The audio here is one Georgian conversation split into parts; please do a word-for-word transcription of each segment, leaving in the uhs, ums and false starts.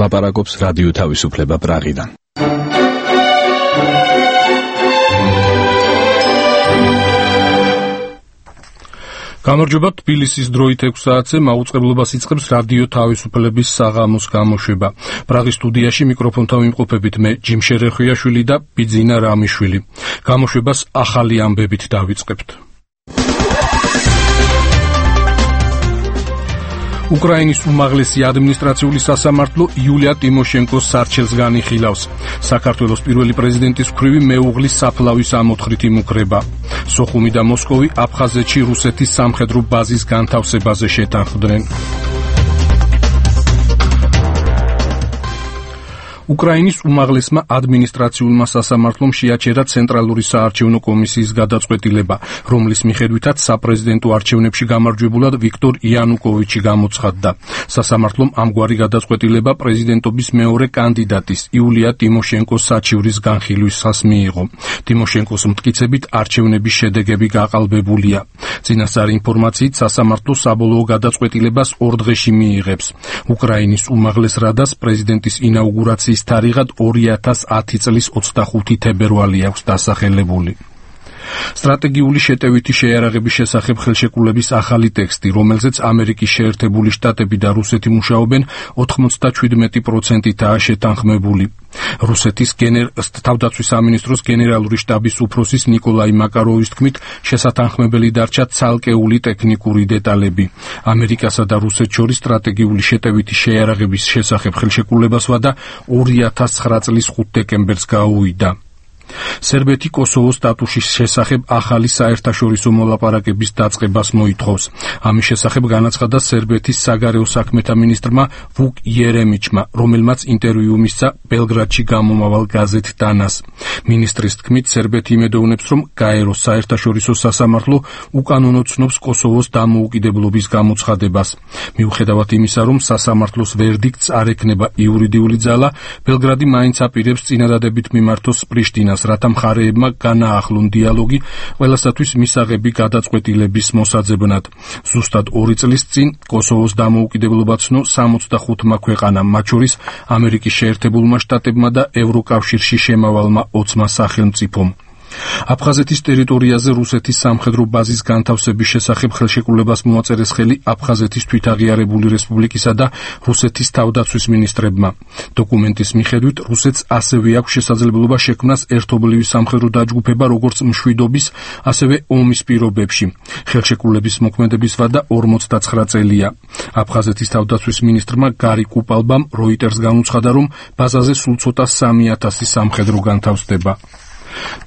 ლაპარაკობს რადიო თავისუფლება პრაღიდან. გამარჯობა, თბილისის დროით ექვს საათზე მაუწყებლობას იწყებს რადიო თავისუფლების საღამოს გამოშვება. პრაღის სტუდიაში მიკროფონთან ვიმყოფებით მე ჯიმ შერეხვიაშვილი და ბიძინა რამიშვილი. გამოშვებას ახალი ამბებით დავიწყებთ. უკრაინის უმაღლესი ადმინისტრაციული სასამართლო იულია ტიმოშენკოს სარჩელს განიხილავს. საქართველოს პირველი პრეზიდენტის მხრივი მეუღლის საფლავის ამოთხრით იმუქრება. სოხუმი და მოსკოვი აფხაზეთში რუსეთის სამხედრო ბაზის განთავსებაზე შეთანხმდნენ. უკრაინის უმაღლესმა ადმინისტრაციულმა სასამართლომ შეაჩერა ცენტრალური საარჩევნო კომისიის გადაწყვეტილება, რომლის მიხედვითაც საპრეზიდენტო არჩევნებში გამარჯვებულად ვიქტორ იანუკოვიჩი გამოცხადდა. სასამართლომ ამგვარი გადაწყვეტილება პრეზიდენტობის მეორე კანდიდატის იულია ტიმოშენკოს საჩივრის განხილვისას მიიღო. ტიმოშენკოს მტკიცებით არჩევნების შედეგები გაყალბებულია. წინასწარი ინფორმაციით სასამართლო საბოლოო გადაწყვეტილებას ორ დღეში მიიღებს. უკრაინის უმაღლეს რადას პრეზიდენტის ინაუგურაციის თარიღად ორი ათას ათი წლის ოცდახუთი თებერვალი აქვს დასახელებული. სტრატეგიული შეტევითი შეიარაღების შესახებ ხელშეკრულების ახალი ტექსტი, რომელზეც ამერიკის შეერთებული შტატები და რუსეთი მუშაობენ, ოთხმოცდაჩვიდმეტი პროცენტითაა შეთანხმებული. რუსეთის თავდაცვის სამინისტროს გენერალური შტაბის უფროსის ნიკოლაი მაკაროვის თქმით, შესათანხმებელი დარჩა ცალკეული ტექნიკური დეტალები. ამერიკასა და რუსეთს შორის სტრატეგიული შეტევითი შეიარაღების შესახებ ხელშეკრულებას ვადა ორი ათას ცხრა წლის ხუთ დეკემბერს გაუვიდა. სერბეთი კოსოვოს სტატუსის შესახებ ახალი საერთაშორისო მოლაპარაკების დაწყებას მოითხოვს. ამის შესახებ განაცხადა სერბეთის საგარეო საქმეთა მინისტრმა ვუკ იერემიჩმა, რომელმაც ინტერვიუ მისცა ბელგრადში გამომავალ გაზეთ დანას. მინისტრის თქმით, სერბეთი იმედოვნებს, რომ გაეროს საერთაშორისო სასამართლო უკანონო ცნობს კოსოვოს დამოუკიდებლობის გამოცხადებას. მიუხედავად იმისა, რომ სასამართლოს ვერდიქტს არ ექნება იურიდიული ძალა, ბელგრადი მაინც აპირებს წინადადებით მიმართოს პრიშტინას, რათა მხარეებმა განაახლონ დიალოგი ყველასათვის მისაღები გადაწყვეტილების მოსაძებნად. ზუსტად ორი წლის წინ კოსოვოს დამოუკიდებლობა ცნო სამოცდახუთმა ქვეყანამ, მათ შორის ამერიკის შეერთებულმა შტატებმა და ევროკავშირში შემავალმა ოცმა სახელმწიფომ. აფხაზეთის ტერიტორიაზე რუსეთის სამხედრო ბაზის განთავსების შესახებ ხელშეკრულებას მოაწერეს ხელი აფხაზეთის თვითაღიარებული რესპუბლიკისა და რუსეთის თავდაცვის მინისტრებმა. დოკუმენტის მიხედვით, რუსეთს ასევე აქვს შესაძლებლობა შექმნას ერთობლივი სამხედრო დაჯგუფება როგორც მშვიდობის, ასევე ომის პირობებში. ხელშეკრულების მოქმედების ვადა ორმოცდაცხრა წელია. აფხაზეთის თავდაცვის მინისტრმა გარი კუპალბამ როიტერს განუცხადა, რომ ბაზაზე სულ ცოტა სამი ათასი სამხედრო განთავსდება.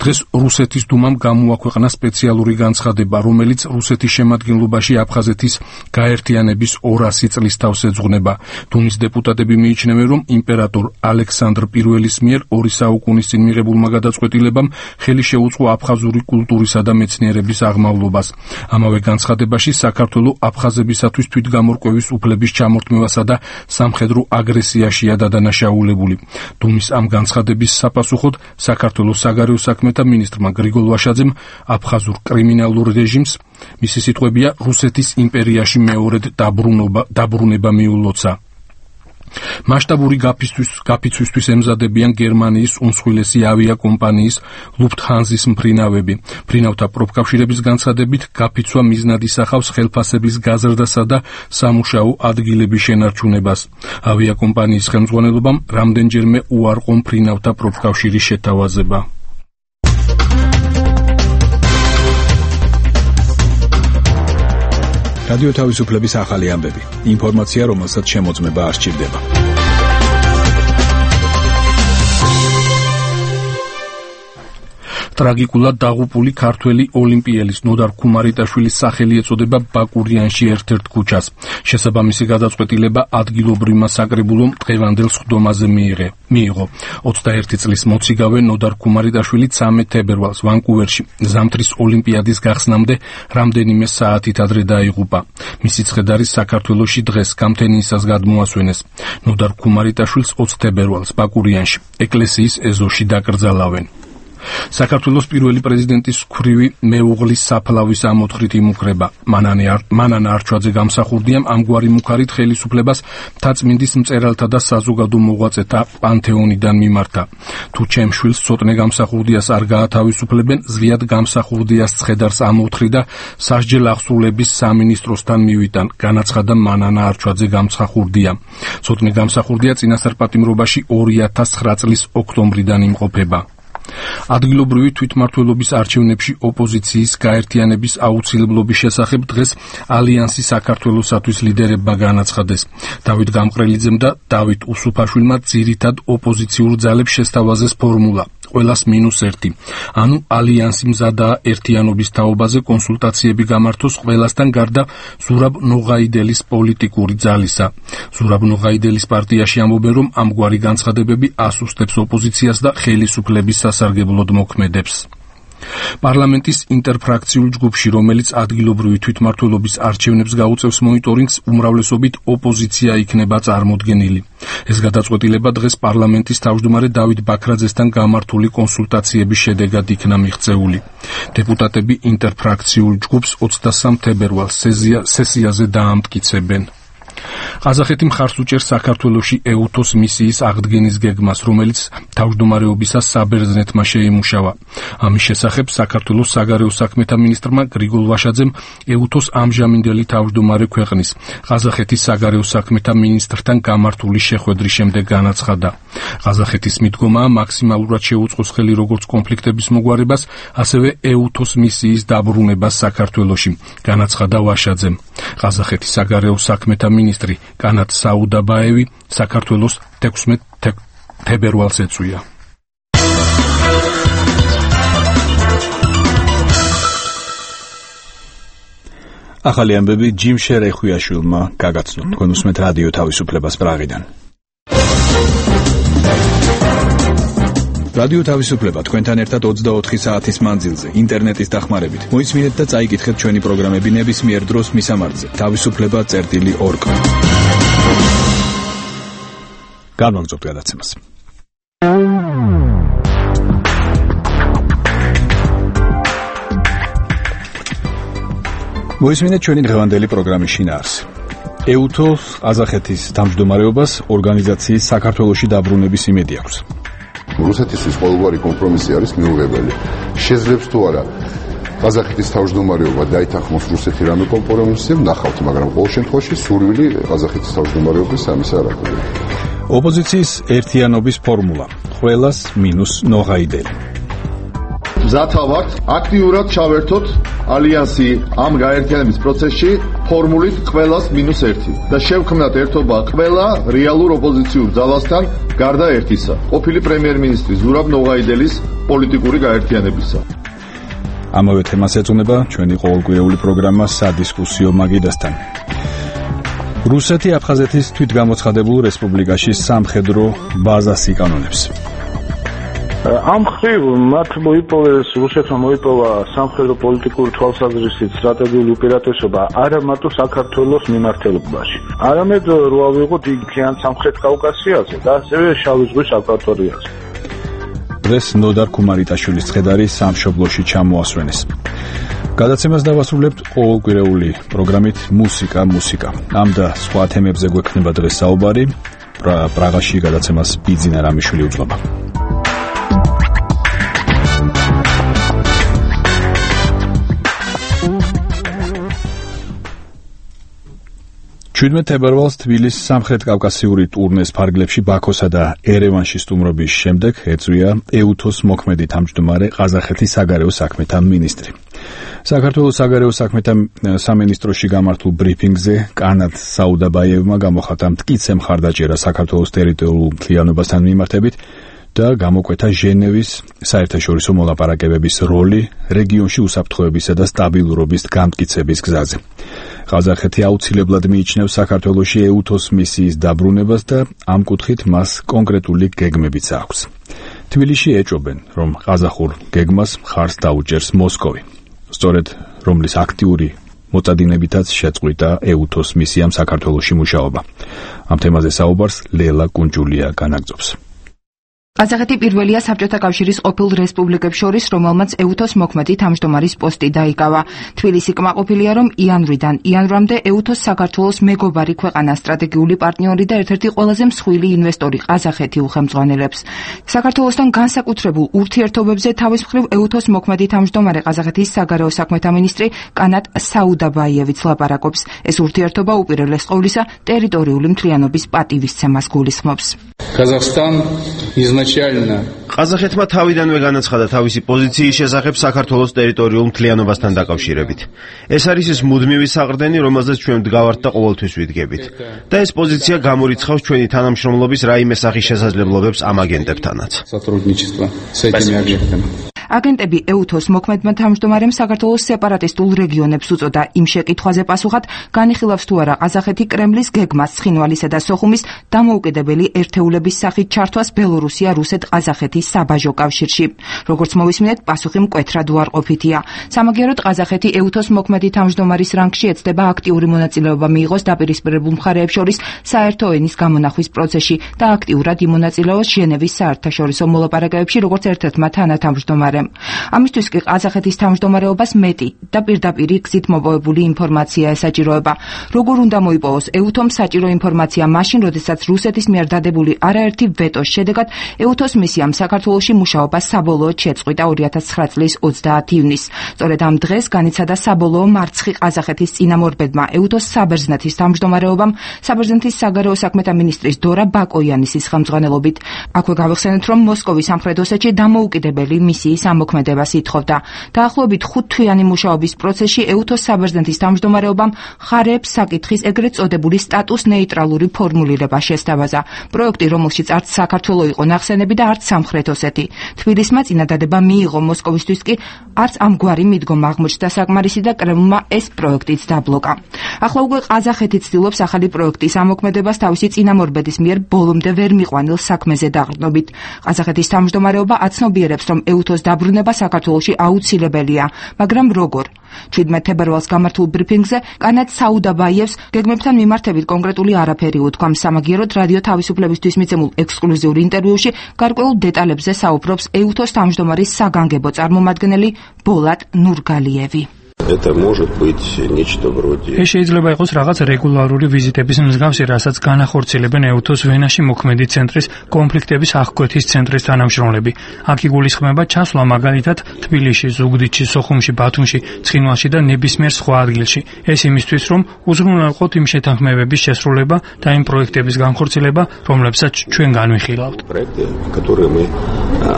დღეს რუსეთის დუმამ გამოაქვეყნა სპეციალური განცხადება, რომელიც რუსეთის შემადგენლობაში აფხაზეთის გაერთიანების ორასი წლის თავს ეძღვნება. დუმის დეპუტატები მიიჩნევენ, რომ იმპერატორ ალექსანდრ პირველის მიერ ორი საუკუნის წინ მიღებულმა გადაწყვეტილებამ ხელი შეუწყო აფხაზური კულტურისა და მეცნიერების აღმავლობას. ამავე განცხადებაში საქართველო აფხაზებისათვის თვითგამორკვევის უფლების ჩამორთმევასა და სამხედრო აგრესიაშია დადანაშაულებული. დუმის ამ განცხადების sapasუხოდ საქართველოს საგარეო საქმეთა მინისტრმა გრიგოლ ვაშაძემ აფხაზურ კრიმინალურ რეჟიმს, მისი სიტყვებია, რუსეთის იმპერიაში მეორედ დაბრუნება მიულოცა. მასშტაბური გაფიცვისთვის ემზადებიან გერმანიის უმსხვილესი ავიაკომპანიის ლუფტჰანზის მფრინავები. მფრინავთა პროფკავშირების განცხადებით, გაფიცვა მიზნად ისახავს ხელფასების გაზრდასა და სამუშაო ადგილების შენარჩუნებას. ავიაკომპანიის ხელმძღვანელობამ რამდენჯერმე უარყო მფრინავთა პროფკავშირის შეთავაზება. რადიო თავისუფლების ახალი ამბები. ინფორმაცია, რომელსაც შემოწმება არ სჭირდება. ტრაგიკულად დაღუპული ქართველი ოლიმპიელის ნოდარ ქუმარიტაშვილის სახელი ეწოდება ბაკურიანში ერთ-ერთ ქუჩას. შესაბამისი გადაწყვეტილება ადგილობრივმა საკრებულომ დღევანდელ სხდომაზე მიიღო. ოცდაერთი წლის მოციგავე ნოდარ ქუმარიტაშვილი ცამეტ თებერვალს ვანკუვერში ზამთრის ოლიმპიადის გახსნამდე რამდენიმე საათით ადრე დაიღუპა. მისი ცხედარი საქართველოში დღეს გამთენიისას გადმოასვენეს. ნოდარ ქუმარიტაშვილს ოცდაათი თებერვალს ბაკურიანში ეკლესიის ეზოში დაკრძალავენ. საქართველოს პირველი პრეზიდენტის ქვრივი მეუღლის საფლავის ამოთხრით იმუქრება. მანანა არჩვაძე გამსახურდიამ ამგვარი მუქარით ხელისუფლებას მთაწმინდის მწერალთა და საზოგადო მოღვაწეთა პანთეონიდან მიმართა. თუ ჩემ შვილს ცოტნე გამსახურდიას არ გაათავისუფლებენ, ზღიად გამსახურდიას ცხედარს ამოთხრი და სასჯელ აღსრულების სამინისტროსთან მივიტან, განაცხადა მანანა არჩვაძე გამსახურდია. ცოტნე გამსახურდია წინასწარ პატიმრობაში ორი ათას ცხრა წლის ოქტომბრიდან იმყოფება. ადგილობრივი თვითმმართველობის არჩევნებში ოპოზიციის გაერთიანების აუცილებლობის შესახებ დღეს ალიანსი საქართველოსათვის ლიდერებმა განაცხადეს. დავით გამყრელიძემ და დავით უსუფაშვილმა ძირითად ოპოზიციურ ძალებს შესთავაზეს ფორმულა ყველას მინუს ერთი. ანუ ალიანსი მზადაა ერთიანობის თაობაზე კონსულტაციები გამართოს ყველასთან გარდა ზურაბ ნოღაიდელის პოლიტიკური ძალისა. ზურაბ ნოღაიდელის პარტიაში ამბობენ, რომ ამგვარი განცხადებები ასუსტებს ოპოზიციას და ხელისუფლების სასარგებლოდ მოქმედებს. პარლამენტის ინტერფრაქციულ ჯგუფში, რომელიც ადგილობრივი თვითმმართველობის არჩევნებს გაუწევს მონიტორინგს, უმრავლესობით ოპოზიცია იქნება წარმოდგენილი. ეს გადაწყვეტილება დღეს პარლამენტის თავმჯდომარე დავით ბაქრაძესთან გამართული კონსულტაციების შედეგად იქნა მიღწეული. დეპუტატები ინტერფრაქციულ ჯგუფს ოცდასამ თებერვალს სესიაზე დაამტკიცებენ. ყაზახეთი მხარს უჭერს საქართველოში ეუთოს მისიის აღდგენის გეგმას, რომელიც თავმჯდომარეობისას საბერძნეთმა შეიმუშავა. ამის შესახებ საქართველოს საგარეო საქმეთა მინისტრმა გრიგოლ ვაშაძემ ეუთოს ამჟამინდელი თავმჯდომარე ქვეყნის, ყაზახეთის საგარეო საქმეთა მინისტრთან გამართული შეხვედრის შემდეგ განაცხადა. ყაზახეთის მიდგომაა მაქსიმალურად შეუწყოს ხელი როგორც კონფლიქტების მოგვარებას, ასევე ეუთოს მისიის დაბრუნებას საქართველოში, განაცხადა ვაშაძემ. ყაზახეთის საგარეო საქმეთა მინისტრი კანათ საუდაბაევი საქართველოს თექვსმეტ თებერვალს ეწვია. ახალი ამბები ჯიმ შერეხუიაშვილმა გაგაცნო. თქვენ უსმენთ რადიო თავისუფლებას პრაღიდან. რადიო თავისუფლება თქვენთან ერთად ოცდაოთხი საათის მანძილზე ინტერნეტის დახმარებით. მოისმინეთ და წაიკითხეთ ჩვენი პროგრამები ნებისმიერ დროს მისამართზე თავისუფლება წერტილი ორგ. გამოგზავნოთ გადაცემას. მოისმინეთ ჩვენი დღევანდელი პროგრამის შინაარსი. ეუთოს ყაზახეთის თავმჯდომარეობას ორგანიზაციის საქართველოში დაბრუნების იმედი აქვს. რუსეთისთვის ყოველგვარი კომპრომისი არის მიუღებელი. შეძლებს თუ არა ყაზახეთის თავმჯდომარეობა დაითანხმოს რუსეთი რამე კომპრომისზე, ნახავთ, მაგრამ ყოველ შემთხვევაში სურვილი ყაზახეთის თავმჯდომარეობის ამისა არ აქვს. ოპოზიციის ერთიანობის ფორმულა: ყველას მინუს ნოღაიდელი. მზათა ვართ აქტიურად ჩავერთოთ ალიანსი ამ გაერთიანების პროცესში ფორმულით ყველას მინუს ერთი და შევქმნათ ერთობა ყველა რეალურ ოპოზიციურ ძალასთან გარდა ერთისა, ყოფილი პრემიერ-მინისტრი ზურაბ ნოღაიდელის პოლიტიკური გაერთიანებისა. ამავე თემას ეძღვნება ჩვენი ყოველკვირეული პროგრამა სადისკუსიო მაგიდასთან. რუსეთი აფხაზეთის თვითგამოცხადებულ რესპუბლიკაში სამხედრო ბაზას იკანონებს. ამ ხრივ მათ მოიპოვეს რუსეთმა მოიპოვა სამხედრო პოლიტიკური თვალსაზრისით სტრატეგიული უპირატესობა არა მარტო საქართველოს მიმართებაში, არამედ რო ავიღოთ იქიან სამხრეთ კავკასიაზე და ასევე შავი ზღვის აკვატორიაზე. დღეს ნოდარ ქუმარიტაშვილის ცხედარი სამშობლოში ჩამოასვენეს. გადაცემას დავასრულებთ ყოველკვირეული პროგრამით მუსიკა მუსიკა. ამ და სხვა თემებზე გვექნება დღეს საუბარი. პრაღაში გადაცემას ბიძინა რამიშვილი უძღვება. შვიდმეტ თებერვალს თბილისის სამხრეთ კავკასიური ტურნეს ფარგლებში ბაქოსა და ერევანში სტუმრობის შემდეგ ეწვია ეუთოს მოქმედი თავმჯდომარე ყაზახეთის საგარეო საქმეთა მინისტრი. საქართველოს საგარეო საქმეთა სამინისტროში გამართულ ბრიფინგზე კანათ საუდაბაევმა გამოხატა მტკიცე მხარდაჭერა საქართველოს ტერიტორიულ მთლიანობასთან მიმართებით და გამოკვეთა ჟენევის საერთაშორისო მოლაპარაკებების როლი რეგიონში უსაფრთხოებისა და სტაბილურობის გამტკიცების გზაზე. ყაზახეთი აუცილებლად მიიჩნევს საქართველოში ეუთოს მისიის დაბრუნებას და ამ კუთხით მას კონკრეტული გეგმებიც აქვს. თბილისში ეჭობენ, რომ ყაზახურ გეგმას მხარს დაუჭერს მოსკოვი, სწორედ რომლის აქტიური მოწადინებითაც შეწყვიტა ეუთოს მისიამ საქართველოში მუშაობა. ამ თემაზე საუბარს ლელა კუნჯულია განაგრძობს. ყაზახეთი პირველია საბჭოთა კავშირის ყოფილ რესპუბლიკებს შორის, რომელმაც ეუთოს მოქმედი თავმჯდომარის პოსტი დაიკავა. თბილისი კმაყოფილია, რომ იანვრიდან იანვრამდე ეუთოს საქართველოს მეგობარი ქვეყანა, სტრატეგიული პარტნიორი და ერთ-ერთი ყველაზე მსხვილი ინვესტორი ყაზახეთი უხელმძღვანელებს. საქართველოსთან განსაკუთრებულ ურთიერთობებზე თავის მხრივ ეუთოს მოქმედი თავმჯდომარე ყაზახეთის საგარეო საქმეთა მინისტრი კანატ საუდაბაიევიც ლაპარაკობს. ეს ურთიერთობა უპირველეს ყოვლისა ტერიტორიული მთლიანობის პატივისცემას გულისხმობს. Казахстан изначально ყაზახეთმა თავიდანვე განაცხადა თავისი პოზიციის შესახებ საქართველოს ტერიტორიულ მთლიანობასთან დაკავშირებით. ეს არის ის მუდმივი საყრდენი, რომელზეც ჩვენ ვდგავართ და ყოველთვის ვიდგებით. და ეს პოზიცია გამორიცხავს ჩვენი თანამშრომლობის რაიმე სახის შესაძლებლობებს ამ აგენტებთანაც. აგენტები ეუთოს მოქმედმა თავმჯდომარემ საქართველოს სეპარატისტულ რეგიონებს უწოდა იმ შეკითხვაზე პასუხად, განიხილავს თუ არა ყაზახეთი კრემლის გეგმას ცხინვალისა და სოხუმის დამოუკიდებელი ერთეულების სახით ჩართვას ბელორუსია, რუსეთ-ყაზახეთის საბაჟო კავშირში. როგორც მოვისმინეთ, პასუხი მკვეთრად უარყოფითია. სამაგიეროდ ყაზახეთი ეუთოს მოქმედი თავმჯდომარის რანგში ეცდება აქტიური მონაწილეობა მიიღოს დაპირისპირებულ მხარეებს შორის საერთო ენის გამონახვის პროცესში და აქტიურად იმონაწილეოს ჟენევის საერთაშორისო მოლაპარაკებებში, როგორც ერთ-ერთმა თანათავმჯდომარემ. ამისთვის კი ყაზახეთის თავმჯდომარეობას მეტი და პირდაპირ გზით მოპოვებული ინფორმაცია ესაჭიროება. როგორ უნდა მოიპოვოს ეუთომ საჭირო ინფორმაცია მაშინ, როდესაც რუსეთის მიერ დადებული არაერთი ვეტოს შედეგად ეუთოს მისიამ საქართველოში მუშაობა საბოლოოდ შეწყვიტა ორი ათას ცხრა წლის ოცდაათი ივნისს. სწორედ ამ დღეს განიცადა საბოლოო მარცხი ყაზახეთის წინამორბედმა ეუთოს საბერძნეთის თავმჯდომარეობამ საბერძნეთის საგარეო საქმეთა მინისტრის დორა ბაკოიანისის ხელმძღვანელობით. აქვე გავიხსენეთ, რომ მოსკოვის სამხრეთ ოსეთში დამოუკიდებელი მისიის ამოქმედებას ითხოვდა. დაახლოებით ხუთთვიანი მუშაობის პროცესში ეუთოს საბერძნეთის თავმჯდომარეობამ მხარეებს საკითხის ეგრეთ წოდებული სტატუს ნეიტრალური ფორმულირება შესთავაზა. პროექტი, რომელშიც არც საქართველო იყო ნახსენები და არც სამხრეთ ოსეთი. თბილისმა წინადადება მიიღო, მოსკოვისთვის კი არც ამგვარი მიდგომა აღმოჩნდა საკმარისი და კრემლმა ეს პროექტიც დაბლოკა. ახლა უკვე ყაზახეთი ცდილობს ახალი პროექტის ამოქმედებას თავისი წინამორბედის მიერ ბოლომდე ვერ მიყვანილ საქმეზე დაყრდნობით. ყაზახეთის თავმჯდომარეობა აცნობიერებს, რომ ეუთოს დაბრუნება საქართველოში აუცილებელია, მაგრამ როგორ? შვიდმეტ თებერვალს გამართულ ბრიფინგზე კანატ საუდაბაიევს გეგმებთან მიმართებით კონკრეტული არაფერი უთქვა. სამაგიეროდ რადიო თავისუფლებისთვის მიცემულ ექსკლუზიურ ინტერვიუში გარკვეულ დეტალებზე საუბრობს ეუთოს თავმჯდომარის საგანგებო წარმომადგენელი ბოლატ ნურგალიევი. Это может быть нечто вроде. ეს შეიძლება იყოს რაღაც რეგულარული ვიზიტების მსგავსი, რასაც განახორციელებენ ეუთოს ვენაში მოქმედი ცენტრის კონფლიქტების აღკვეთის ცენტრის თანამშრომლები. აქ იგულისხმება ჩასვლა მაგალითად თბილისში, ზუგდიდში, სოხუმში, ბათუმში, ცხინვალში და ნებისმიერ სხვა ადგილში. ეს იმისთვის, რომ უზრუნველყოთ იმ შეთანხმებების შესრულება და იმ პროექტების განხორციელება, რომლებსაც ჩვენ განვიხილავთ. Проекты, которые мы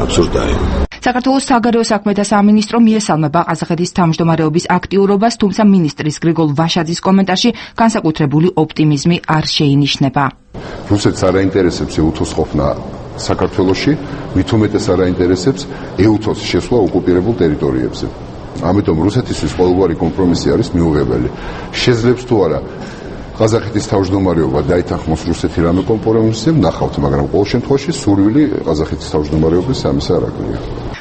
обсуждаем. საქართველოს საგარეო საქმეთა სამინისტრო მიესალმება ყაზახეთის თავმჯდომარეობის აქტიურობას, თუმცა მინისტრის გრიგოლ ვაშაძის კომენტარში განსაკუთრებული ოპტიმიზმი არ შეინიშნება. რუსეთს არ აინტერესებს ეუთოს ყოფნა საქართველოში, მით უმეტეს არ აინტერესებს ეუთოს შესვლა ოკუპირებულ ტერიტორიებზე. ამიტომ რუსეთისთვის ყოველგვარი კომპრომისი არის მიუღებელი. შეძლებს თუ არა ყაზახეთის თავმჯდომარეობა დაითანხმოს რუსეთი რამე კომპრომისზე, ნახავთ, მაგრამ ყოველ შემთხვევაში სურვილი ყაზახეთის თავმჯდომარეობის ამისა არ აკლია.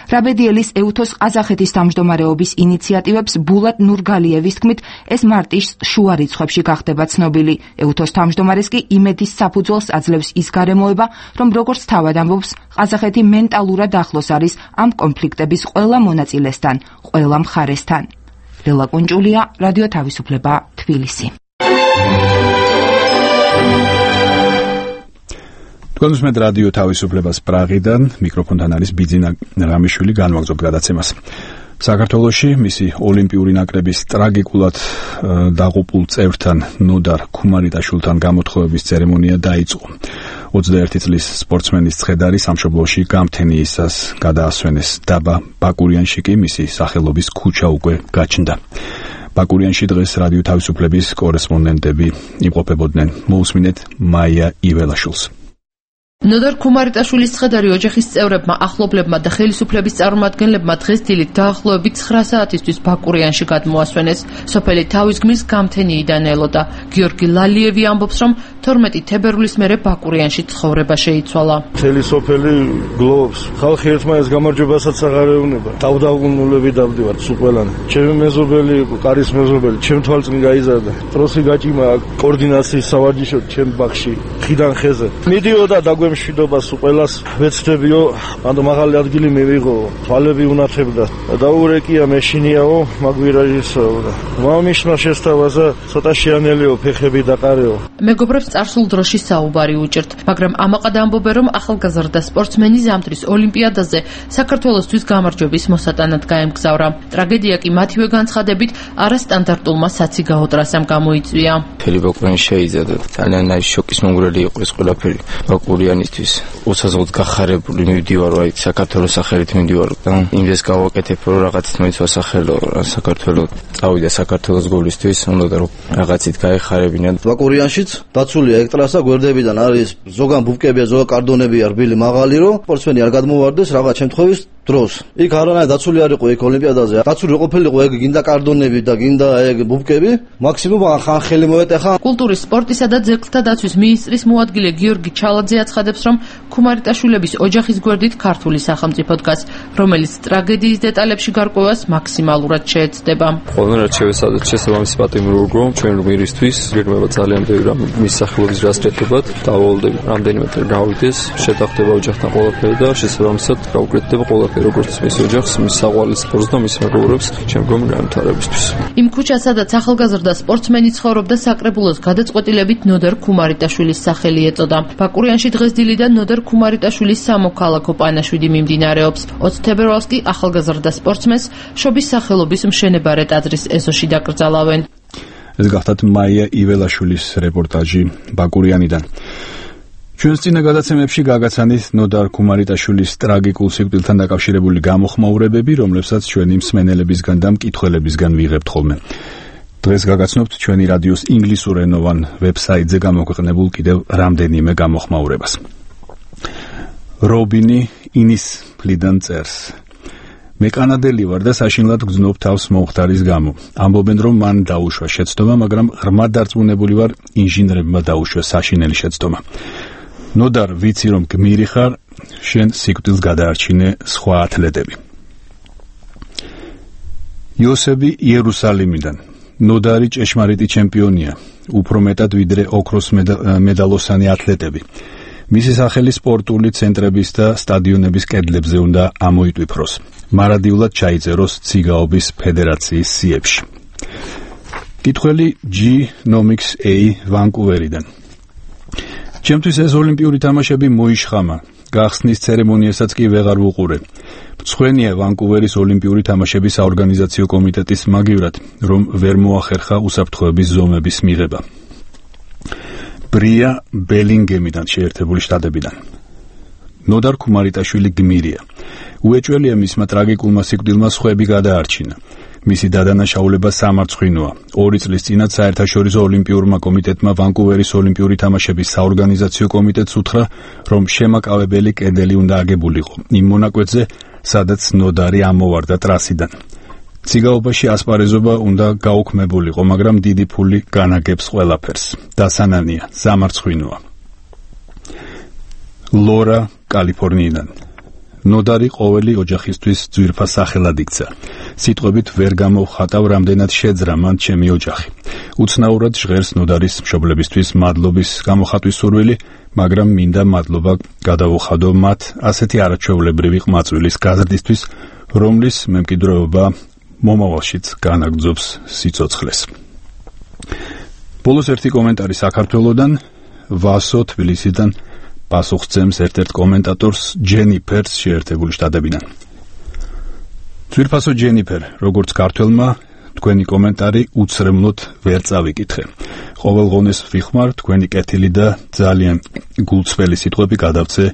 რაბედიელის ეუთოს ყაზახეთის თავმჯდომარეობის ინიციატივებს ბულატ ნურგალიევის თქმით, ეს მარტის შუა რიცხვებში გახდება ცნობილი. ეუთოს თავმჯდომარეს კი იმედის საფუძველს აძლევს ის გარემოება, რომ როგორც თავად ამბობს, ყაზახეთი მენტალურად ახლოს არის ამ კონფლიქტების ყველა მონაწილესთან, ყველა მხარესთან. ლელა კუნჭულია, რადიო თავისუფლება, თბილისი. თქვენს რადიო თავისუფლებას პრაღიდან მიკროფონთან არის ბიძინა რამიშვილი, განვაგრძობთ გადაცემას. საქართველოში მისი ოლიმპიური ნაკრების ტრაგიკულად დაღუპულ წევრთან ნოდარ ქუმარიტაშვილთან გამოთხოვების ცერემონია დაიწყო. ოცდაერთი წლის სპორტსმენის ცხედარი სამშობლოში გამთენიისას გადაასვენეს. დაბა ბაკურიანში კი მისი სახელობის ქუჩა უკვე გაჩნდა. ბაკურიანში დღეს რადიო თავისუფლების კორესპონდენტები იმყოფებოდნენ. მოусმინეთ მაია იველაშვილს. ნოდარ ქუმარიტაშვილის ცხედარი ოჯახის წევრებმა, ახლობლებმა და ხელისუფლების წარმომადგენლებმა დღეს დილით დაახლოებით ცხრა საათისთვის ბაკურიანში გადმოასვენეს. სოფელი თავის გმირს გამთენიიდან ელოდა. გიორგი ლალიევი ამბობს, რომ თორმეტი თებერვლის მერე ბაკურიანში ცხოვრება შეიცვალა. მთელი სოფელი გლოვობს. ხალხი ერთმანეთს გამარჯვებასაც აღარ ეუბნება. დავდაუნულები დავდივართ სულ ყველანი. ჩემი მეზობელი იყო, კარის მეზობელი, ჩემ თვალწინ გაიზარდა. ტროსი გაჭიმა კოორდინაციის სავარჯიშოდ ჩემ ბაღში. ხიდან ხეზე. მიდიოდა დაგვემშვიდობას უყველას ვეცდებიო, ანუ მაღალი ადგილი მივიღო, თვალები უნათებდა. დაურეკია მეშინიაო, მაგვირაჟისო. მამიშმა შესთავაზა ცოტა შეანელიო ფეხები დაყარეო. მეგობრებს წარსულ დროში საუბარი უჭერთ, მაგრამ ამაყად ამბობენ, რომ ახალგაზრდა სპორტსმენი ზამთრის ოლიმპიადაზე საქართველოსთვის გამარჯვების მოსატანად გაემგზავრა. ტრაგედია კი მათივე განცხადებით არასტანდარტულმა საციგაო ტრასამ გამოიწვია. ფელი ბაკურიანი შეიძადა. ძალიან ნაის შოკის მომგვრელი იყო ეს ყველაფერი ბაკურიანისთვის. უცაძლოდ გახარებული მივდივარ, აი საქართველოს სახელით მივდივარ და იმდეს გავაკეთებ, რომ რაღაცით მოიც ვასახელო, საქართველოს წავიდა საქართველოს გოლისთვის, უნდა რომ რაღაცით გაეხარებინათ. ბაკურიანშიც დაცულია ეგ ტრასა, გვერდებიდან არის ზოგან ბუბკებია, ზოგან კარდონებია, რბილი მაღალი, რომ სპორტსმენი არ გადმოვარდეს რაღაც შემთხვევის დროს. იქ არანაირ დაცული არ იყო ეგ ოლიმპიადაზე. დაცული ყოფილიყო ეგ გინდა კარდონები და გინდა ეგ ბუბკები, მაქსიმუმ ხან ხელი მოეტეხა. კულტურის, სპორტისა და ძეგლთა დაცვის მინისტრის მოადგილე გიორგი ჩალაძე აცხადებს, რომ ქუმარიტაშვილების ოჯახის გვერდით ქართული სახელმწიფო დგას, რომელიც ტრაგედიის დეტალებში გარკვევას მაქსიმალურად შეეცდება. Ყოველ რაც შევესწავლეთ შესაბამისი პატიმროიგო, ჩვენ მერისთვის გეგმება ძალიან ბევრი რამ მის სახელობის რასწრებად, დავალდები რამდენიმე წელი გავიდეს, შეთანხმდება ოჯახთან ყველაფერი და შესაბამისად გავუკეთდება ყველაფერი როგორც მის ოჯახს, მის საყვარელ სპორტს და მის მეგობრებს შემდგომ განვითარებისთვის. იმ ქუჩას, სადაც ახალგაზრდა სპორტსმენი ცხოვრობდა, საკრებულოს გადაწყვეტილებით ნოდარ ქუმარიტაშვილის სახელი ეწოდა. ბაკურიანში დღეს დილიდან ნოდარ ქუმარიტაშვილის სამოქალაქო პანაშვიდი მიმდინარეობს. ოცი თებერვალს კი ახალგაზრდა სპორტსმენს შობის სახელობის მშენებარე ტაძრის ეზოში დაკრძალავენ. ეს გახლავთ მაია იველაშვილის რეპორტაჟი ბაკურიანიდან. ჩვენს წინა გადაცემებში გაგაცანით ნოდარ ქუმარიტაშვილის ტრაგიკულ სიკვდილთან დაკავშირებული გამოხმაურებები, რომლებსაც ჩვენი მსმენელებისგან და მკითხველებისგან ვიღებთ ხოლმე. დღეს გაგაცნობთ ჩვენი რადიოს ინგლისურენოვან ვებსაიტზე გამოქვეყნებულ კიდევ რამდენიმე გამოხმაურებას. რობინი ინის ფლიდან წერს: მე კანადელი ვარ და საშინლად გძნობ თავს მომხდარის გამო. ამბობენ, რომ მან დაუშვა შეცდომა, მაგრამ ღრმად დარწმუნებული ვარ, ინჟინრებმა დაუშვა საშინელი შეცდომა. ნოდარ, ვიცი რომ გმირი ხარ, შენ სიკვდილს გადაარჩინე სხვა ათლეტები. იოსები იერუსალიმიდან. ნოდარი ჭეშმარიტი ჩემპიონია, უფრო მეტად ვიდრე ოქროს მედალოსანი ათლეტები. მისი სახელი სპორტული ცენტრების და სტადიონების კედლებზე უნდა ამოიტვიფროს. მარადიულად ჩაიწეროს ციგაობის ფედერაციის სიებში. კითხველი ჯი ნომიქს ეი ვანკუვერიდან. ჩემთვის ეს ოლიმპიური თამაშები მოიშხამა. გახსნის ცერემონიასაც კი ვეღარ ვუყურე. მწვენია ვანკუვერის ოლიმპიური თამაშების საორგანიზაციო კომიტეტის მაგივრად, რომ ვერ მოახერხა უსაფრთხოების ზომების მიღება. ბრია ბელინგემიდან, შეერთებული შტატებიდან. ნოდარ ქუმარიტაშვილი გმირია. უეჭველია მისმა ტრაგიკულმა სიკვდილმა სხვები გადაარჩინა. მისი დადანაშაულება სამარცხვინოა. ორი წლის წინათ საერთაშორისო ოლიმპიურმა კომიტეტმა ვანკუვერის ოლიმპიური თამაშების საორგანიზაციო კომიტეტს უთხრა, რომ შემაკავებელი კედელი უნდა აგებულიყო იმ მონაკვეთზე, სადაც ნოდარი ამოვარდა ტრასიდან. ციგაობაში ასპარეზობა უნდა გაუქმებულიყო, მაგრამ დიდი ფული განაგებს ყველაფერს. დასანანია, სამარცხვინოა. ლორა, კალიფორნიიდან. ნოდარი ყოველი ოჯახისთვის ძვირფას სახელად იქცა. სიტყვებით ვერ გამოვხატავ, რამდენად შეძრა მან ჩემი ოჯახი. უცნაურად ჟღერს ნოდარის მშობლებისთვის მადლობის გამოხატვის სურვილი, მაგრამ მინდა მადლობა გადავუხადო მათ ასეთი არაჩვეულებრივი ყმაწვილის გაზრდისთვის, რომლის მემკვიდრეობა მომავალშიც განაგრძობს სიცოცხლეს. ბოლოს ერთი კომენტარი საქართველოდან, ვასო თბილისიდან პასუხს ერთ-ერთ კომენტატორს ჯენიფერს შეერთებული შტატებიდან. ძვირფასო ჯენიფერ, როგორც ქართველმა, თქვენი კომენტარი უცრემლოდ ვერ წავიკითხე. ყოველ ღონეს ვიხმარ თქვენი კეთილი და ძალიან გულწრფელი სიტყვები გადავწე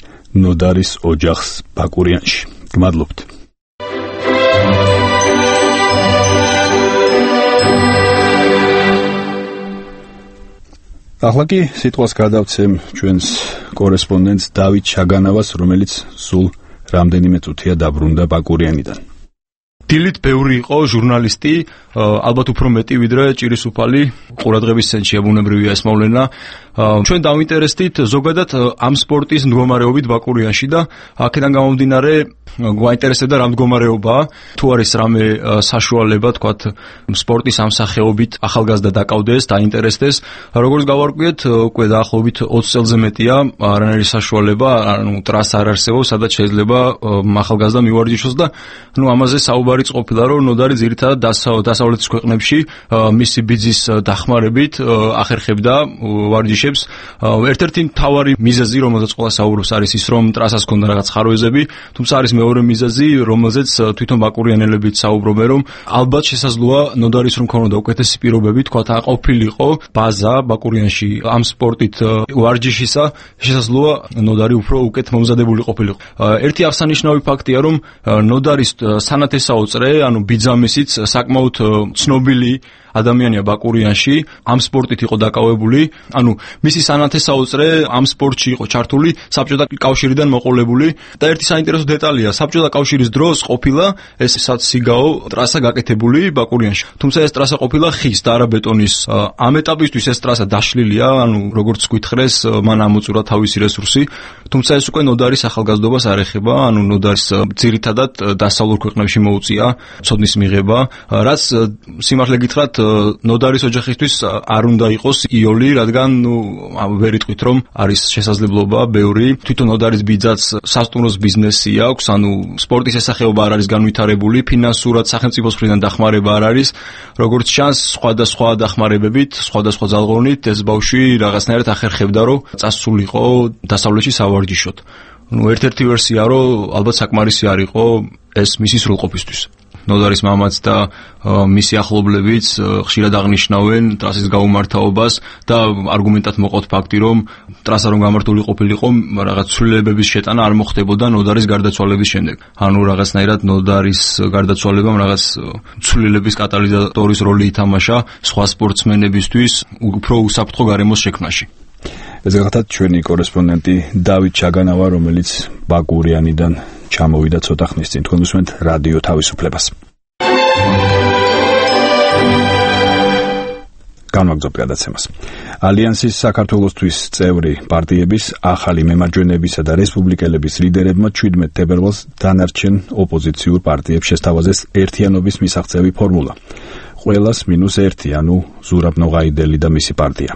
ნოდარის ოჯახს ბაკურიანში. გმადლობთ. ახლა კი სიტყვას გადავცემ ჩვენს კორესპონდენტს დავით ჩაგანავას, რომელიც სულ რამდენიმე წუთია დაბრუნდა ბაკურიანიდან. დილით ბევრი იყო ჟურნალისტი, ალბათ უფრო მეტი ვიდრე ჭირისუფალი ყურადღების ცენტრში ბუნებრივია ეს მოვლენა. ჩვენ დავინტერესდით ზოგადად ამ სპორტის მდგომარეობით ბაკურიანში და აქედან გამომდინარე გვაინტერესებდა რა მდგომარეობაა, თუ არის რამე საშუალება, თქვათ, სპორტის ამ სახეობით ახალგაზრდა დაკავდეს, დაინტერესდეს. როგორც გავარკვიეთ, უკვე დაახლოებით ოცი წელზე მეტია არანაირი საშუალება, ანუ ტრასა არ არსებობს, სადაც შეიძლება ახალგაზრდა მივარჯიშოს და ნუ ამაზე საუბარიც ყოფილა, რომ ნოდარი ძირითადად დასავლეთის ქვეყნებში მისი ბიძის დახმარებით ახერხებდა ვარჯიშებს. ერთ-ერთი მთავარი მიზეზი, რომელზეც ყველა საუბრობს, არის ის, რომ ტრასას ჰქონდა რაღაც ხარვეზები, თუმცა არის მეორე მიზეზი, რომელზეც თვითონ ბაკურიანელებიც საუბრობენ, რომ ალბათ შესაძლოა ნოდარის რომ ქონოდა უკეთესი პირობები, თქვათ, აყოფილიყო ბაზა ბაკურიანში ამ სპორტით ვარჯიშისა, შესაძლოა ნოდარი უფრო უკეთ მომზადებული ყოფილიყო. ერთი აღსანიშნავი ფაქტია, რომ ნოდარის სანათესაო წრე, ანუ ბიძამისიც საკმაოდ ცნობილი ადამიანია ბაკურიანში, ამ სპორტით იყო დაკავებული, ანუ მისი სანათესაო წრე ამ სპორტში იყო ჩართული საბჭოთა კავშირიდან მოყოლებული და ერთი საინტერესო დეტალია, საბჭოთა კავშირის დროს ყოფილა ეს საციგაო ტრასა გაკეთებული ბაკურიანში. თუმცა ეს ტრასა ყოფილა ხის და არა ბეტონის. ამ ეტაპისთვის ეს ტრასა დაშლილია, ანუ როგორც გითხრეს, მან ამოწურა თავისი რესურსი, თუმცა ეს უკვე ნოდარის ახალგაზრდობას არ ეხება, ანუ ნოდარის ძირითადად დასავლურ ქვეყნებში მოუწია ცოდნის მიღება, რაც სიმართლე გითხრათ ნოდარის ოჯახისთვის არ უნდა იყოს იოლი, რადგან ნუ ვერ იტყვით რომ არის შესაძლებლობა ბევრი. თვითონ ნოდარის ბიძაც სასტუმროს ბიზნესი აქვს, ანუ სპორტის ესახეობა არ არის განვითარებული, ფინანსურად სახელმწიფოს მხრიდან დახმარება არ არის. როგორც ჩანს, სხვადასხვა დახმარებებით, სხვადასხვა ძალღონით ეს ბავშვი რაღაცნაირად ახერხებდა, რომ წასულიყო დასავლეთში სავარჯიშოდ. ნუ ერთ-ერთი ვერსია, რომ ალბათ საკმარისი არ იყო ეს მისი სრულყოფისთვის. ნოდარის მამაც და მისი ახლობლებიც ხშირად აღნიშნავენ ტრასის გაუმართაობას და არგუმენტად მოყავთ ფაქტი, რომ ტრასა რომ გამართული ყოფილიყო, რაღაც ცვლილებების შეტანა არ მოხდებოდა ნოდარის გარდაცვალების შემდეგ. ანუ რაღაცნაირად ნოდარის გარდაცვალებამ რაღაც ცვლილების კატალიზატორის როლი ითამაშა სხვა სპორტსმენებისთვის უფრო უსაფრთხო გარემოს შექმნაში. ეს გახლავთ ჩვენი კორესპონდენტი დავით ჩაგანავა, რომელიც ბაკურიანიდან ჩამოვიდა ცოტა ხნის წინ. თქვენ უსმენთ რადიო თავისუფლებას. განვაგრძობ გადაცემას. ალიანსის საქართველოსთვის წევრი პარტიების ახალი მემარჯვენეებისა და რესპუბლიკელების ლიდერებმა ჩვიდმეტ თებერვალს დანარჩენ ოპოზიციურ პარტიებს შესთავაზეს ერთიანობის მისაღწევი ფორმულა. ყველას მინუს ერთი, ანუ ზურაბ ნოღაიდელი და მისი პარტია.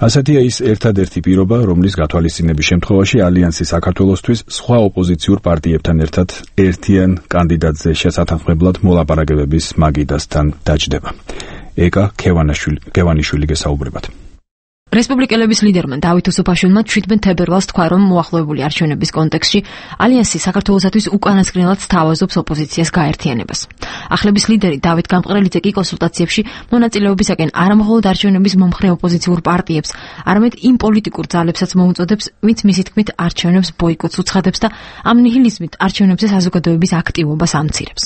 ასეთია ის ერთადერთი პირობა, რომლის გათვალისწინების შემთხვევაში ალიანსი საქართველოსთვის სხვა ოპოზიციურ პარტიებთან ერთად ერთიან კანდიდატზე შესათანხმებლად მოლაპარაკებების მაგიდასთან დაჯდება. ეკა ქევანიშვილი გესაუბრებათ. რესპუბლიკელების ლიდერმა დავით უსუფაშვილმა ჩვიდმეტ თებერვალს თქვა, რომ მოახლოებული არჩევნების კონტექსტში ალიანსი საქართველოსათვის უკანასკნელად სთავაზობს ოპოზიციას გაერთიანებას. ახლების ლიდერი დავით გამყრელიძე კი კონსულტაციებში მონაწილეობისაკენ არამხოლოდ არჩევნების მომხრე ოპოზიციურ პარტიებს, არამედ იმ პოლიტიკურ ძალებსაც მოუწოდებს, ვინც მისი თქმით არჩევნებს ბოიკოტს უცხადებს და ამ ნიჰილიზმით არჩევნებზე საზოგადოების აქტივობას ამცირებს.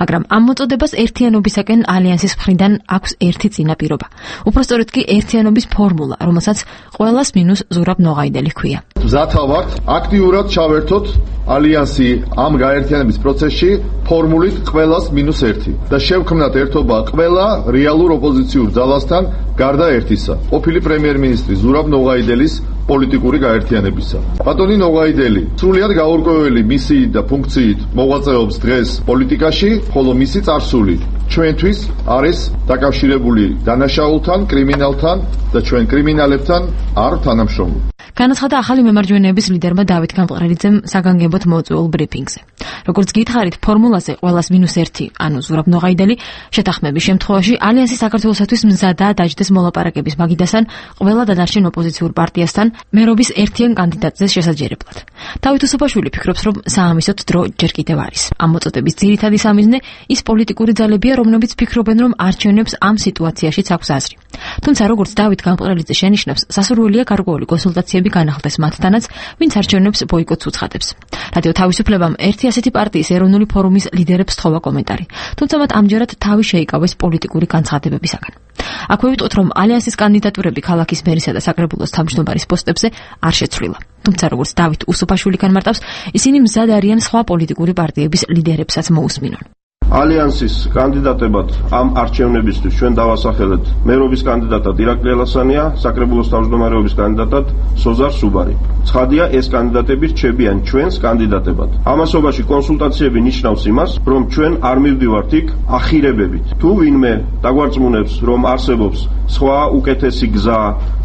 მაგრამ ამ მოწოდებას ერთიანობისაკენ ალიანსის მხრიდან აქვს ერთი წინაპირობა. უпростоროდ კი ერთიანობის ფორმულა, რომელსაც ყველას მინუს ზურაბ ნოღაიდელი ჰქვია. მზათა ვართ აქტიურად ჩავერთოთ ალიანსი ამ გაერთიანების პროცესში ფორმულით ყველას მინუს ერთი და შევქმნათ ერთობა ყველა რეალურ ოპოზიციურ ძალასთან გარდა ერთისა. ყოფილი პრემიერ-მინისტრი ზურაბ ნოღაიდელის პოლიტიკური გაერთიანებისა. ბატონი ნოღაიდელი სრულიად გაურკვეველი მისიით და ფუნქციით მოღვაწეობს დღეს პოლიტიკაში, ხოლო მისი წარსული ჩვენთვის არის დაკავშირებული დანაშაულთან, კრიმინალთან და ჩვენ კრიმინალებთან არ თანამშრომლობ. განაცხადა ახალი მემარჯვენეების ლიდერმა დავით გამყრელიძემ საგანგებოდ მოწვეულ ბრიფინგზე. როგორც გითხარით, ფორმულაზე ყველას მინუს ერთი, ანუ ზურაბ ნოღაიდელი შეთანხმების შემთხვევაში ალიანსი საქართველოსათვის მზადაა დაჯდეს მოლაპარაკების მაგიდასთან ყველა დანარჩენ ოპოზიციურ პარტიასთან მერობის ერთიან კანდიდატზე შესაჯერებლად. დავით უსუფაშვილი ფიქრობს, რომ საამისოდ დრო ჯერ კიდევ არის. ამ მოწოდების ძირითადი სამიზნე ის პოლიტიკური ძალებია, რომლებიც ფიქრობენ, რომ არჩევნებს ამ სიტუაციაშიც აქვს აზრი. თუმცა როგორც დავით გამყრელიძე შენიშნავს, სასურველია გარკვეული კონსულტაციები განახლდეს მათთანაც, ვინც არჩევნებს ბოიკოტს უცხადებს. რადიო თავისუფლებამ ერთი ასეთი პარტიის ეროვნული ფორუმის ლიდერებს სთხოვა კომენტარი, თუმცა მათ ამჯერად თავი შეიკავეს პოლიტიკური განცხადებებისაგან. აქვე ვიტყოთ, რომ ალიანსის კანდიდატურები ქალაქის მერისა და საკრებულოს თავმჯდომარის პოსტებზე არ შეცვლილა. თუმცა როგორც დავით უსუფაშვილი განმარტავს, ისინი მზად არიან სხვა პოლიტიკური პარტიების ლიდერებსაც მოусმინონ. ალიანსის კანდიდატებად ამ არჩევნებისთვის ჩვენ დავასახელეთ მერობის კანდიდატად ირაკლი ალასანია, საკრებულოს თავმჯდომარეობის კანდიდატად სოზარ სუბარი. ცხადია, ეს კანდიდატები რჩებიან ჩვენს კანდიდატებად. ამასობაში კონსულტაციები ნიშნავს იმას, რომ ჩვენ არ მივდივართ იქ ახირებებით. თუ ვინმე დაგვარწმუნებს, რომ არსებობს სხვა უკეთესი გზა,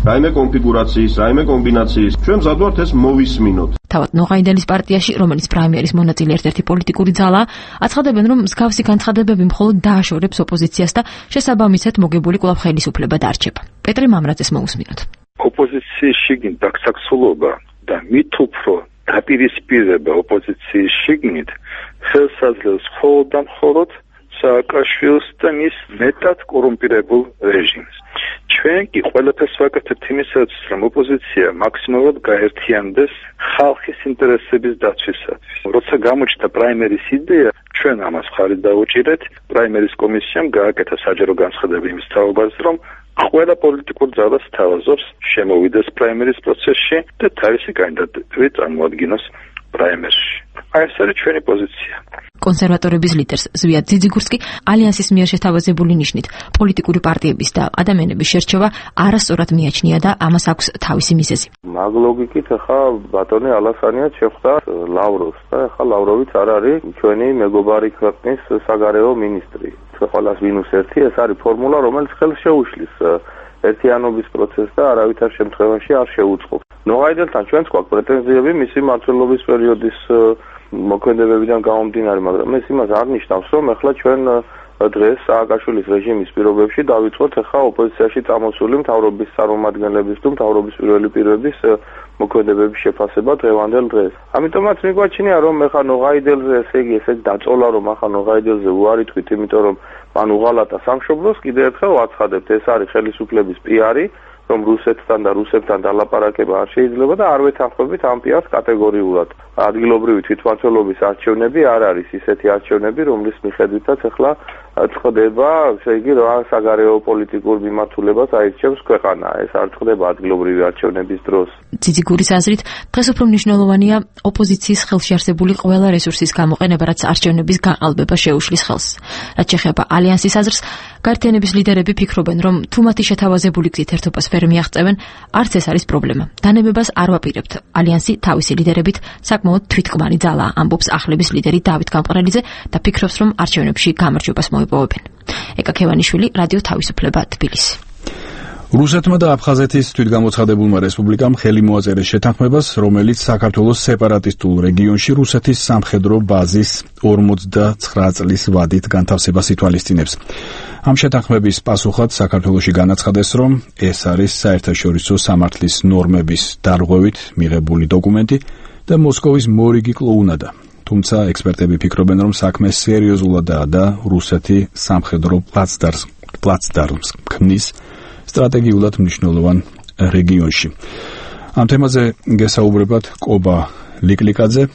რაიმე კონფიგურაციის, რაიმე კომბინაციის, ჩვენ მზად ვართ ეს მოვისმინოთ. თავად ნოღაიდელის პარტიაში, რომელიც პრაიმერის მონაწილე ერთ-ერთი პოლიტიკური ძალაა, აცხადებენ, რომ მსგავსი განცხადებები მხოლოდ დააშორებს ოპოზიციას და შესაბამისად მოგებული კვლავ ხელისუფლება დარჩება. პეტრე მამრაძეს მოусმინოთ. ოპოზიციის შიგნით დაქცაქცულობა და მით უფრო დაპირისპირება ოპოზიციის შიგნით ხელს აძლევს მხოლოდ და მხოლოდ სააკაშვილს და მის მეტად კორუმპირებულ რეჟიმს. ჩვენ კი ყველაფერს ვაკეთებთ იმისათვის, რომ ოპოზიცია მაქსიმალურად გაერთიანდეს ხალხის ინტერესების დაცვისათვის. როცა გამოჩნდა პრაიმერის იდეა, ჩვენ ამას ხარით დავუჭირეთ, პრაიმერის კომისიამ გააკეთა საჯარო განცხადება იმის თაობაზე, რომ ყველა პოლიტიკურ ძალას თავაზობს შემოვიდეს პრაიმერის პროცესში და თავისი კანდიდატები წარმოადგინოს პრაიმერში. აი ეს არის ჩვენი პოზიცია. კონსერვატორების ლიდერს ზვიად ძიძიგურსკი ალიანსის მიერ შეთავაზებული ნიშნით პოლიტიკური პარტიების და ადამიანების შერჩევა არასწორად მიაჩნია და ამას აქვს თავისი მიზეზი. მაგ ლოგიკით ახლა ბატონი ალასანია შეხვდა ლავროვს და ახლა ლავროვიც არ არის ჩვენი მეგობარი ქვეყნის საგარეო მინისტრი. ყველას მინუს ერთი ეს არის ფორმულა, რომელიც ხელს შეუშლის ერთიანობის პროცესს და არავითარ შემთხვევაში არ შეუწყობს. ნოღაიდელთან ჩვენს გვაქვს პრეტენზიები მისი მმართველობის პერიოდის მოქმედებებიდან გამომდინარე, მაგრამ ეს იმას არ ნიშნავს, რომ ახლა ჩვენ დღეს სააკაშვილის რეჟიმის პირობებში დავიწყოთ ახლა ოპოზიციაში წამოსული მთავრობის წარმომადგენლების თუ მთავრობის პირველი პირების მოქმედებების შეფასება დღევანდელ დღეს. ამიტომაც მიგვაჩნია, რომ ახლა ნოღაიდელზე ესე იგი ესე დაწოლა, რომ ახლა ნოღაიდელზე უარი თქვით, იმიტომ რომ მან უღალატა სამშობლოს, კიდევ ერთხელ ვაცხადებთ, ეს არის ხელისუფლების პიარი, რომ რუსეთთან და რუსებთან დალაპარაკება არ შეიძლება და არ ვეთანხმებით ამ პიარს კატეგორიულად. ადგილობრივი თვითმმართველობის არჩევნები არ არის ისეთი არჩევნები, რომლის მიხედვითაც ახლა წყდება, ესე იგი, რა საგარეო პოლიტიკურ მიმართულებას აირჩევს ქვეყანა. ეს არ წყდება ადგილობრივი არჩევნების დროს. ძიძიგურის აზრით, დღეს უფრო მნიშვნელოვანია ოპოზიციის ხელში არსებული ყველა რესურსის გამოყენება, რაც არჩევნების გაყალბება შეუშლის ხელს. რაც შეეხება ალიანსის აზრს, გაერთიანების ლიდერები ფიქრობენ, რომ თუ მათი შეთავაზებული გზით ერთობას ვერ მიაღწევენ, არც ეს არის პრობლემა. დანებებას არ ვაპირებთ. ალიანსი თავისი ლიდერებით საკმაოდ თვითკმარი ძალაა, ამბობს ახლების ლიდერი დავით გამყრელიძე და ფიქრობს, რომ არჩევნებში გამარჯვებას მოიპოვებენ. ეკა ქევანიშვილი, რადიო თავისუფლება, თბილისი. რუსეთმა და აფხაზეთის თვითგამოცხადებულმა რესპუბლიკამ ხელი მოაწერეს შეთანხმებას, რომელიც საქართველოს სეპარატისტულ რეგიონში რუსეთის სამხედრო ბაზის ორმოცდაცხრა წლის ვადით განთავსებას ითვალისწინებს. ამ შეთანხმების პასუხად საქართველოში განაცხადეს, რომ ეს არის საერთაშორისო სამართლის ნორმების დარღვევით მიღებული დოკუმენტი და მოსკოვის მორიგი კლოუნადა. თუმცა ექსპერტები ფიქრობენ, რომ საქმე სერიოზულადაა და რუსეთი სამხედრო პლაცდარმს ქმნის სტრატეგიულად მნიშვნელოვან რეგიონში. ამ თემაზე გესაუბრებათ კობა ლიკლიკაძე.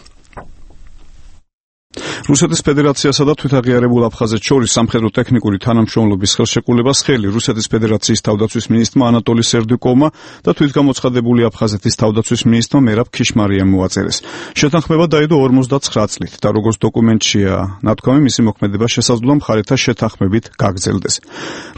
რუსეთის ფედერაციასა და თვითაღიარებულ აფხაზეთს შორის სამხედრო ტექნიკური თანამშრომლობის ხელშეკრულებას ხელი რუსეთის ფედერაციის თავდაცვის მინისტრმა ანატოლი სერდიუკოვმა და თვითგამოცხადებული აფხაზეთის თავდაცვის მინისტრმა მერაბ ქიშმარიამ მოაწერეს. შეთანხმება დაიდო ორმოცდაცხრა წლით და როგორც დოკუმენტშია ნათქვამი, მისი მოქმედება შესაძლოა მხარეთა შეთანხმებით გაგრძელდეს.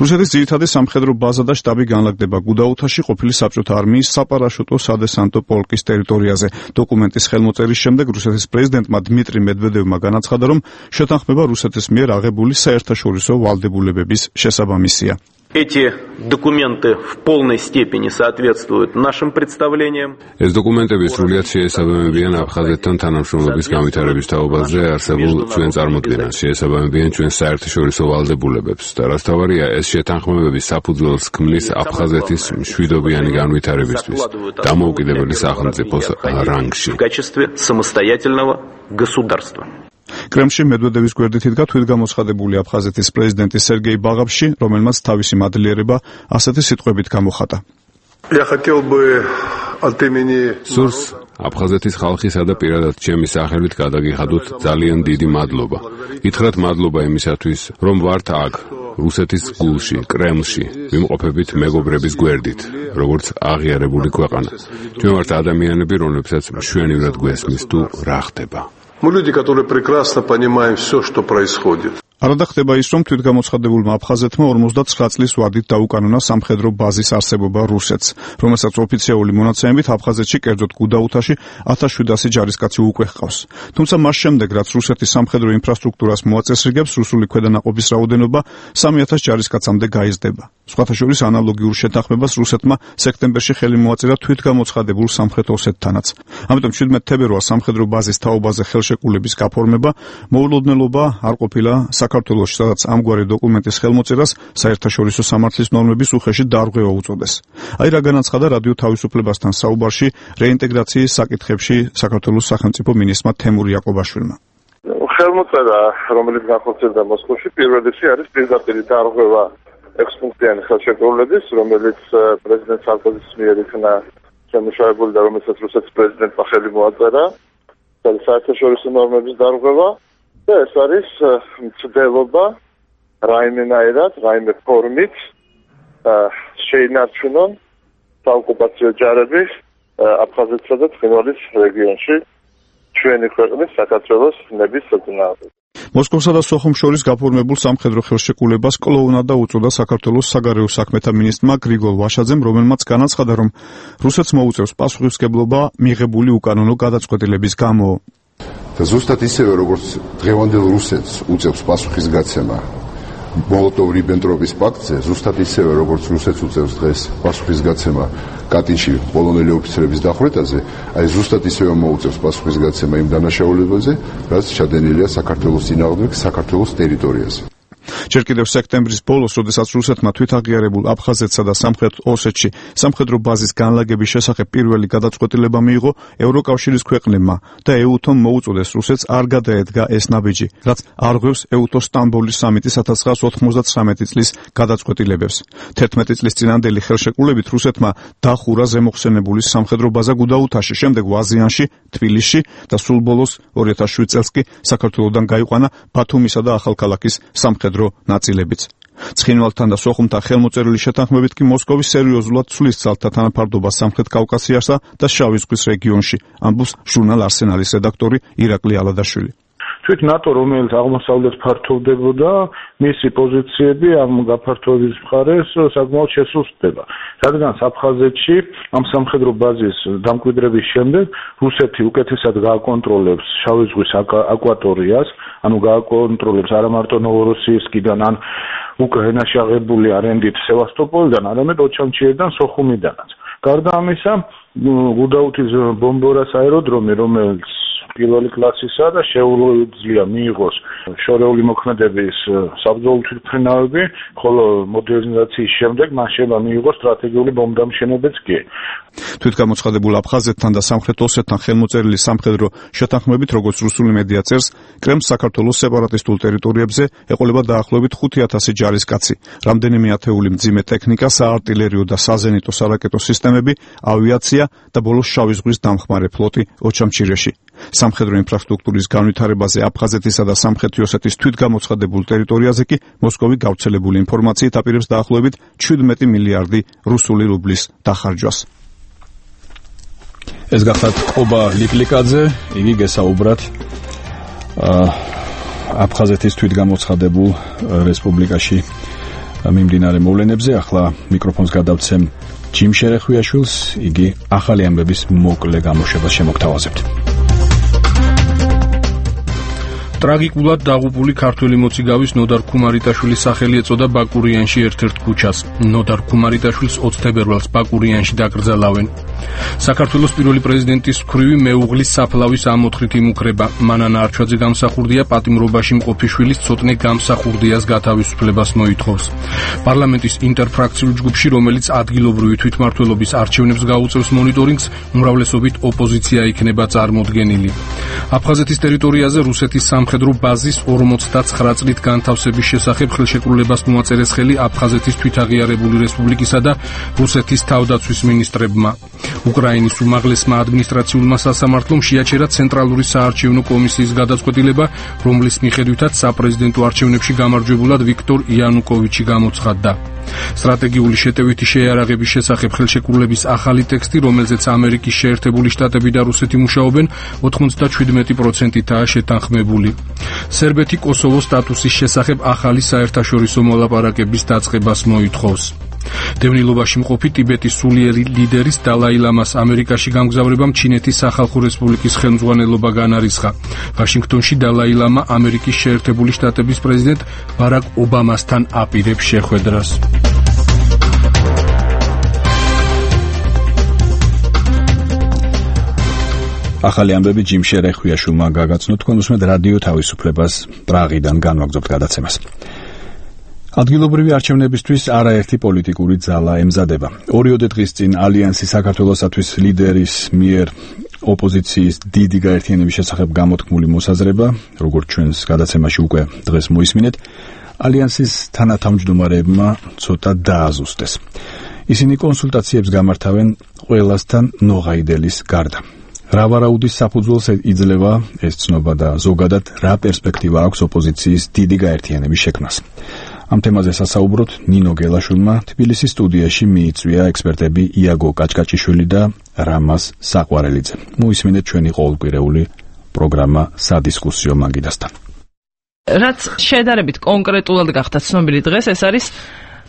რუსეთის ძირითადი სამხედრო ბაზა და შტაბი განლაგდება გუდაუთაში ყოფილი საბჭოთა არმიის საპარაშუტო სადესანტო პოლკის ტერიტორიაზე. დოკუმენტის ხელმოწერის შემდეგ რუსეთის პრეზიდენტმა დმიტრი მედვედევმა განაცხადა, რომ შეთანხმება რუსეთის მიერ აღებული საერთაშორისო ვალდებულებების შესაბამისია. Эти документы в полной степени соответствуют нашим представлениям. ეს დოკუმენტები სრულიად შეესაბამებიან აფხაზეთთან თანამშრომლობის განვითარების თაობაზე არსებულ ჩვენ წარმოდგენას, შეესაბამებიან ჩვენ საერთაშორისო ვალდებულებებს და რაც თავარია, ეს შეთანხმებები საფუძველს ქმნის აფხაზეთის მშვიდობიანი განვითარებისთვის დამოუკიდებელი სახელმწიფოს რანგში. В качестве самостоятельного государства. კრემლში მედვედევის გვერდით იდგა თვითგამოცხადებული აფხაზეთის პრეზიდენტი სერგეი ბაღავში, რომელმაც თავისი მადლიერება ასეთი სიტყვებით გამოხატა. Я хотел бы от имени სურს აფხაზეთის ხალხისა და პირადად ჩემი სახელით გადაგიხადოთ ძალიან დიდი მადლობა. გითხრათ მადლობა იმისათვის, რომ ვართ აქ, რუსეთის გულში, კრემლში, ვიმყოფებით მეგობრების გვერდით, როგორც აღიარებული ქვეყანა. ჩვენ ვართ ადამიანები, რომლებსაც მშვენივრად გვესმის თუ რა ხდება. Мы люди, которые прекрасно понимаем все, что происходит. არადა ხდება ის, რომ თვითგამოცხადებულმა აფხაზეთმა ორმოცდაცხრა წლის ვადით დაუკანონა სამხედრო ბაზის არსებობა რუსეთს, რომელსაც ოფიციალური მონაცემებით აფხაზეთში, კერძოდ გუდაუთაში ათას შვიდასი ჯარისკაცი უკვე ჰყავს. თუმცა მას შემდეგ, რაც რუსეთის სამხედრო ინფრასტრუქტურას მოაწესრიგებს, რუსული ქვედანაყოფის რაოდენობა სამი ათას ჯარისკაცამდე გაიზრდება. სხვათა შორის ანალოგიურ შეთანხმებას რუსეთმა სექტემბერში ხელი მოაწერა თვითგამოცხადებულ სამხრეთ ოსეთთანაც. ამიტომ შვიდმეტ თებერვალს სამხედრო ბაზის თაობაზე ხელშეკრულების გაფორმება მოულოდნელობა არ ყოფილა საქართველოში, სადაც ამგვარი დოკუმენტის ხელმოწერას საერთაშორისო სამართლის ნორმების უხეში დარღვევა უწოდეს. აი რა განაცხადა რადიო თავისუფლებასთან საუბარში რეინტეგრაციის საკითხებში საქართველოს სახელმწიფო მინისტრმა თემურ იაკობაშვილმა. ხელმოწერა, რომელიც განხორციელდა მოსკოვში, პირველი არის პირდაპირი დარღვევა ექვსპუნქტიანი ხელშეკრულების, რომელიც პრეზიდენტ სარკოზის მიერ იქნა შემუშავებული და რომელსაც რუსეთის პრეზიდენტმა ხელი მოაწერა, საერთაშორისო ნორმების დარღვევა და ეს არის მცდელობა რაიმენაირად, რაიმე ფორმით შეინარჩუნონ საოკუპაციო ჯარები აფხაზეთსა და ცხინვალის რეგიონში ჩვენი ქვეყნის საქართველოს ნების საწინააღმდეგოდ. მოსკოვსა და სოხუმს შორის გაფორმებულ სამხედრო ხელშეკრულებას კლოუნადა უწოდა საქართველოს საგარეო საქმეთა მინისტრმა გრიგოლ ვაშაძემ, რომელმაც განაცხადა, რომ რუსეთს მოუწევს პასუხისმგებლობა მიღებული უკანონო გადაწყვეტილების გამო. და ზუსტად ისევე, როგორც დღევანდელ რუსეთს უწევს პასუხისგაცემა მოლოტოვ-რიბენტროპის პაქტზე, ზუსტად ისევე, როგორც რუსეთს უწევს დღეს პასუხისგაცემა კატინში პოლონელი ოფიცრების დახვრეტაზე, აი ზუსტად ისევე მოუწევს პასუხისგაცემა იმ დანაშაულებაზე, რაც ჩადენილია საქართველოს წინააღმდეგ საქართველოს ტერიტორიაზე. ჯერ კიდევ სექტემბრის ბოლოს, როდესაც რუსეთმა თვითაღიარებულ აფხაზეთსა და სამხრეთ ოსეთში სამხედრო ბაზის განლაგების შესახებ პირველი გადაწყვეტილება მიიღო, ევროკავშირის ქვეყნებმა და ეუთომ მოუწოდეს რუსეთს არ გადაედგა ეს ნაბიჯი, რაც არღვევს ეუთოს სტამბოლის სამიტის ათას ცხრაას ოთხმოცდათვრამეტი წლის გადაწყვეტილებებს. თერთმეტი წლის წინანდელი ხელშეკრულებით რუსეთმა დახურა ზემოხსენებული სამხედრო ბაზა გუდაუთაში, შემდეგ ვაზიანში, თბილისში და სულ ბოლოს ორი ათას შვიდ წელს კი საქართველოდან გაიყვანა ბათუმისა და ახალქალაქის სამხედრო ნაწილებიც. ცხინვალთან და სოხუმთან ხელმოწერილი შეთანხმებით კი მოსკოვი სერიოზულად ცვლის ძალთა თანაფარდობას სამხრეთ კავკასიასა და შავი ზღვის რეგიონში, ამბობს ჟურნალ არსენალის რედაქტორი ირაკლი ალადაშვილი. თვით ნატო, რომელიც აღმოსავლეთ ფართოვდებოდა, მისი პოზიციები ამ გაფართოების მხარეს საკმაოდ შესუსტდება. რადგან აფხაზეთში ამ სამხედრო ბაზის დამკვიდრების შემდეგ რუსეთი უკეთესად გააკონტროლებს შავი ზღვის აკვატორიას, ანუ გააკონტროლებს არა მარტო ნოვოროსიისკიდან ან უკრაინაში აღებული არენდით სევასტოპოლიდან, არამედ ოჩამჩიედან, სოხუმიდანაც. გარდა ამისა, გუდაუთის ბომბორას აეროდრომი, რომელიც პირველი კლასისა და შეუძლია მიიღოს შორეული მოქმედების საბრძოლო თვითმფრინავები, ხოლო მოდერნიზაციის შემდეგ მან შევა მიიღოს სტრატეგიული ბომბდამშენებაც კი. თვითგამოცხადებულ აფხაზეთთან და სამხრეთ ოსეთთან ხელმოწერილი სამხედრო შეთანხმებით, როგორც რუსული მედია წერს, კრემლს საქართველოს სეპარატისტულ ტერიტორიებზე ეყოლება დაახლოებით ხუთი ათასი ჯარისკაცი, რამდენიმე ათეული მძიმე ტექნიკა, საარტილერიო და საზენიტო სარაკეტო სისტემები, ავიაცია და ბოლოს შავი ზღვის დამხმარე ფლოტი ოჩამჩირეში. სამხედრო ინფრასტრუქტურის განვითარებაზე აფხაზეთისა და სამხრეთი ოსეთის თვითგამოცხადებულ ტერიტორიაზე კი მოსკოვი გავრცელებული ინფორმაციით აპირებს დაახლოებით შვიდმეტი მილიარდი რუსული რუბლის დახარჯვას. ეს გახლავთ ყობა ლიკლიკაძე, იგი გესაუბრათ აფხაზეთის თვითგამოცხადებულ რესპუბლიკაში მიმდინარე მოვლენებზე. ახლა მიკროფონს გადავცემ ჯიმ შერეხვიაშვილს, იგი ახალი ამბების მოკლე გამოშვებას შემოგთავაზებთ. ტრაგიკულად დაღუპული ქართველი მოციგავის ნოდარ ქუმარიტაშვილის სახელი ეწოდა ბაკურიანში ერთ-ერთ ქუჩას. ნოდარ ქუმარიტაშვილს ოცი თებერვალს ბაკურიანში დაკრძალავენ. საქართველოს პირველი პრეზიდენტის მქვრივი მეუღლის საფლავის ამოთხრით იმუქრება. მანანა არჩვაძე გამსახურდია პატიმრობაში მყოფი შვილის ცოტნე გამსახურდიას გათავისუფლებას მოითხოვს. პარლამენტის ინტერფრაქციულ ჯგუფში, რომელიც ადგილობრივი თვითმმართველობის არჩევნებს გაუწევს მონიტორინგს, უმრავლესობით ოპოზიცია იქნება წარმოდგენილი. აფხაზეთის ტერიტორიაზე რუსეთის სამხედრო ბაზის ორმოცდაცხრა წლით განთავსების შესახებ ხელშეკრულებას მოაწერეს ხელი აფხაზეთის თვითაღიარებული რესპუბლიკისა და რუსეთის თავდაცვის მინისტრებმა. უკრაინის უმაღლესმა ადმინისტრაციულმა სასამართლომ შეაჩერა ცენტრალური საარჩევნო კომისიის გადაწყვეტილება, რომლის მიხედვითაც საპრეზიდენტო არჩევნებში გამარჯვებულად ვიქტორ იანუკოვიჩი გამოცხადდა. სტრატეგიული შეტევითი შეიარაღების შესახებ ხელშეკრულების ახალი ტექსტი, რომელზეც ამერიკის შეერთებული შტატები და რუსეთი მუშაობენ, ოცდაშვიდმეტი პროცენტითაა შეთანხმებული. სერბეთი კოსოვოს სტატუსის შესახებ ახალი საერთაშორისო მოლაპარაკების დაწყებას მოითხოვს. დევნილობაში მყოფი ტიბეტის სულიერი ლიდერის დალაი ლამას ამერიკაში გამგზავრებამ ჩინეთის სახალხო რესპუბლიკის ხელმძღვანელობა განარისხა. ვაშინგტონში დალაი ლამა ამერიკის შეერთებული შტატების პრეზიდენტ ბარაკ ობამასთან აპირებს შეხვედრას. ახალი ამბები ჯიმ შერეხვიაშვილმა გაგაცნო. თქვენ უსმენთ რადიო თავისუფლებას პრაღიდან განვაგრძობთ გადაცემას. ადგილობრივი არჩევნებისთვის არაერთი პოლიტიკური ძალა ემზადება. ორიოდე დღის წინ ალიანსი საქართველოსათვის ლიდერის მიერ ოპოზიციის დიდი გაერთიანების შესახებ გამოთქმული მოსაზრება, როგორც ჩვენს გადაცემაში უკვე დღეს მოისმინეთ, ალიანსის თანათავმჯდომარეებმა ცოტა დააზუსტეს. ისინი კონსულტაციებს გამართავენ ყველასთან ნოღაიდელის გარდა. რა ვარაუდის საფუძველს იძლევა ეს ცნობა და ზოგადად რა პერსპექტივა აქვს ოპოზიციის დიდი გაერთიანების შექმნას. ამ თემაზე სასაუბროთ ნინო გელაშვილმა თბილისის სტუდიაში მიიწვია ექსპერტები იაგო კაჭკაჭიშვილი და რამაზ საყვარელიძე. მოისმინეთ ჩვენი ყოველკვირეული პროგრამა სადისკუსიო მაგიდასთან. რაც შედარებით კონკრეტულად გახდა ცნობილი დღეს, ეს არის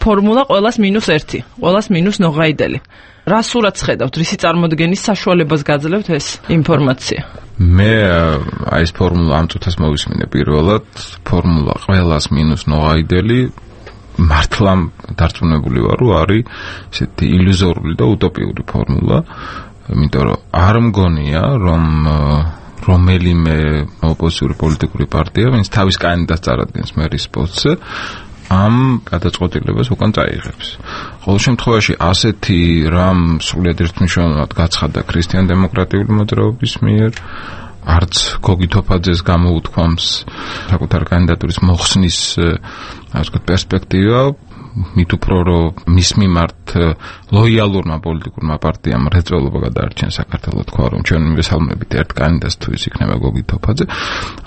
ფორმულა ყველას მინუს ერთი, ყველას მინუს ნოღაიდელი. რა სურათს ხედავთ, რისი წარმოდგენის საშუალებას გაძლევთ ეს ინფორმაცია? მე აი ეს ფორმულა ამ წუთას მოვისმინე პირველად, ფორმულა ყველას მინუს ნოღაიდელი მართლა დარწმუნებული ვარ, რომ არის ესეთი ილუზორული და უტოპიური ფორმულა, იმიტომ რომ არ მგონია, რომ რომელიმე ოპოზიციური პოლიტიკური პარტია, ვინც თავის კანდიდატს წარადგენს მერის პოსტზე, ამ გადაწყვეტილებას უკან წაიღებს. ყოველ შემთხვევაში ასეთი რამ სრულიად ერთმნიშვნელოვნად გაცხადა ქრისტიან-დემოკრატიული მოძრაობის მიერ, არც გოგი თოფაძეს გამოუთქვამს საკუთარ კანდიდატურის მოხსნის ასე ვთქვათ პერსპექტივა, მით უფრო რომ მის მიმართ ლოიალურმა პოლიტიკურმა პარტიამ მრეწველობა გადაარჩენს საქართველოს, თქვა რომ ჩვენ მივესალმებით ერთ კანდიდატს თუ ის იქნება გოგი თოფაძე.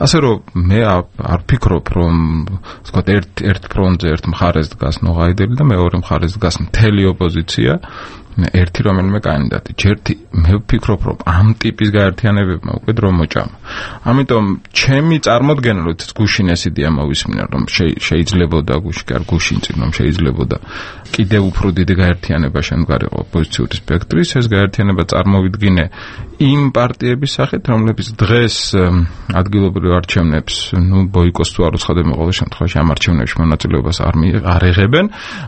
ასე რომ მე არ ვფიქრობ რომ ასე ვთქვათ ერთ ერთ ფრონტზე ერთ მხარეს დგას ნოღაიდელი და მეორე მხარეს დგას მთელი ოპოზიცია, ერთი რომელიმე კანდიდატი. ჯერთი მე ვფიქრობ რომ ამ ტიპის გაერთიანებებმა უკვე დრო მოჭამა. ამიტომ ჩემი წარმოდგენა რომ გუშინ ეს იდეა მოვისმინა რომ შეიძლებოდა გუში კი არ გუშინ წინ რომ შეიძლებოდა კიდევ უფრო დიდი გაერთიანება შემდგარიყო ოპოზიციური სპექტრის, ეს გაერთიანება წარმოვიდგინე იმ პარტიების სახით, რომლებიც დღეს ადგილობრივ არჩევნებს, ნუ ბოიკოტს თუ არ უცხადებენ ყოველ შემთხვევაში ამ არჩევნებში მონაწილეობას არ არ იღებენ,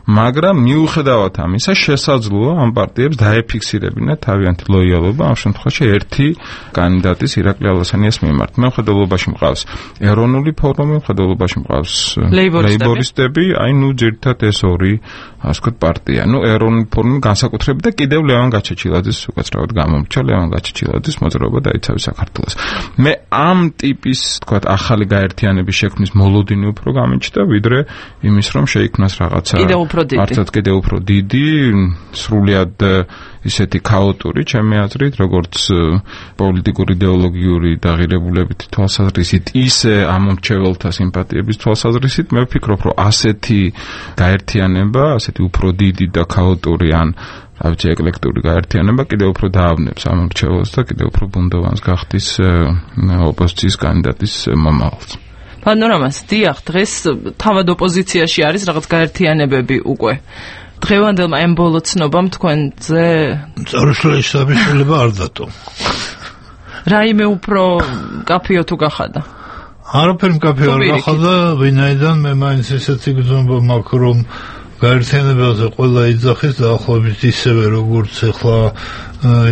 მაგრამ მიუხედავად ამისა შესაძლოა ამ პარტიებს დაეფიქსირებინა თავიანთი ლოიალობა ამ შემთხვევაში ერთი კანდიდატის ირაკლი ალასანიას მიმართ. მე მხედველობაში მყავს ეროვნული ფორუმი, მხედველობაში მყავს ლეიბორისტები, აი ნუ ძირითადად ეს ორი ასე ვთქვათ პარტია. ნუ ეროვნული ფორუმი განსაკუთრებით და კიდევ ლევან გაჩეჩილაძის უკაცრავად გამომრჩა ლევან გაჩეჩილაძის მოძრაობა დაიცავი საქართველოს. მე ამ ტიპის ვთქვათ ახალი გაერთიანების შექმნის მოლოდინი უფრო გამიჩნდა, ვიდრე იმის რომ შეიქმნას რაღაცა მართლაც კიდევ უფრო დიდი, სრულიად ისეთი ქაოტური, ჩემი აზრით, როგორც პოლიტიკური იდეოლოგიური დაღირებულებითი თვალსაზრისით, ისე ამ მომრჩეველთა სიმპათიების თვალსაზრისით, მე ვფიქრობ, რომ ასეთი გაერთიანება, ასეთი უფრო დიდი და ქაოტური ან რა ვიცი ეკლექტური გაერთიანება კიდევ უფრო დაავნებს ამ მომრჩეველს და კიდევ უფრო ბუნდოვანს გახდის ოპოზიციის კანდიდატის მომავალს. პანორამას დიახ, დღეს თავად ოპოზიციაში არის რაღაც გაერთიანებები უკვე. დღევანდელმა ამ ბოლო ცნობამ თქვენზე წარუშლის საბიშულება არ დატო. რაიმე უფრო კაფეო თუ გახადა? არაფერი კაფეო არ გახადა, ვინაიდან მე მაინც ესეთი გზნობა მაქვს, რომ გაერთიანებაზე ყველა იძახის დაახლოებით ისევე როგორც ახლა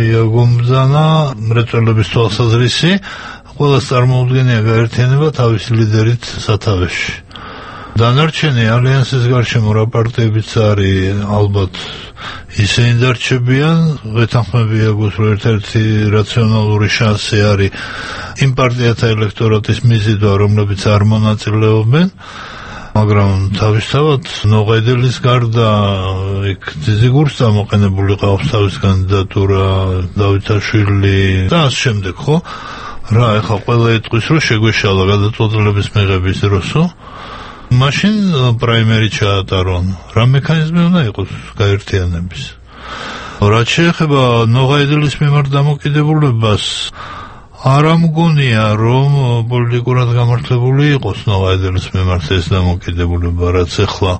იაგომ ბრძანა მრეწველობის თვალსაზრისი, ყველა წარმოუდგენია გაერთიანება თავის ლიდერით სათავეში. დანარჩენი ალიანსის გარშემო რა პარტიებიც არის, ალბათ ისინი დარჩებიან, ვეთანხმები აგოს რომ ერთ-ერთი რაციონალური შანსი არის იმ პარტიათა ელექტორატის მიზიდვა, რომლებიც არ მონაწილეობენ, მაგრამ თავისთავად ნოღაიდელის გარდა იქ ძიგურს გამოყენებული ყავს თავის კანდიდატურა, დავითაშვილი და ამ შემდეგ, ხო? რა, ეხლა ყველა იტყვის რომ შეგვეშალა გადაწყვეტილების მიღების დროსო. მაშინ პრაიმერი ჩაატარონ. რა მექანიზმი უნდა იყოს გაერთიანების? რაც შეეხება ნოღაიდელის მიმართ დამოკიდებულებას, არ ამგონია, რომ პოლიტიკურად გამართლებული იყოს ნოღაიდელის მიმართ ეს დამოკიდებულება, რაც ახლა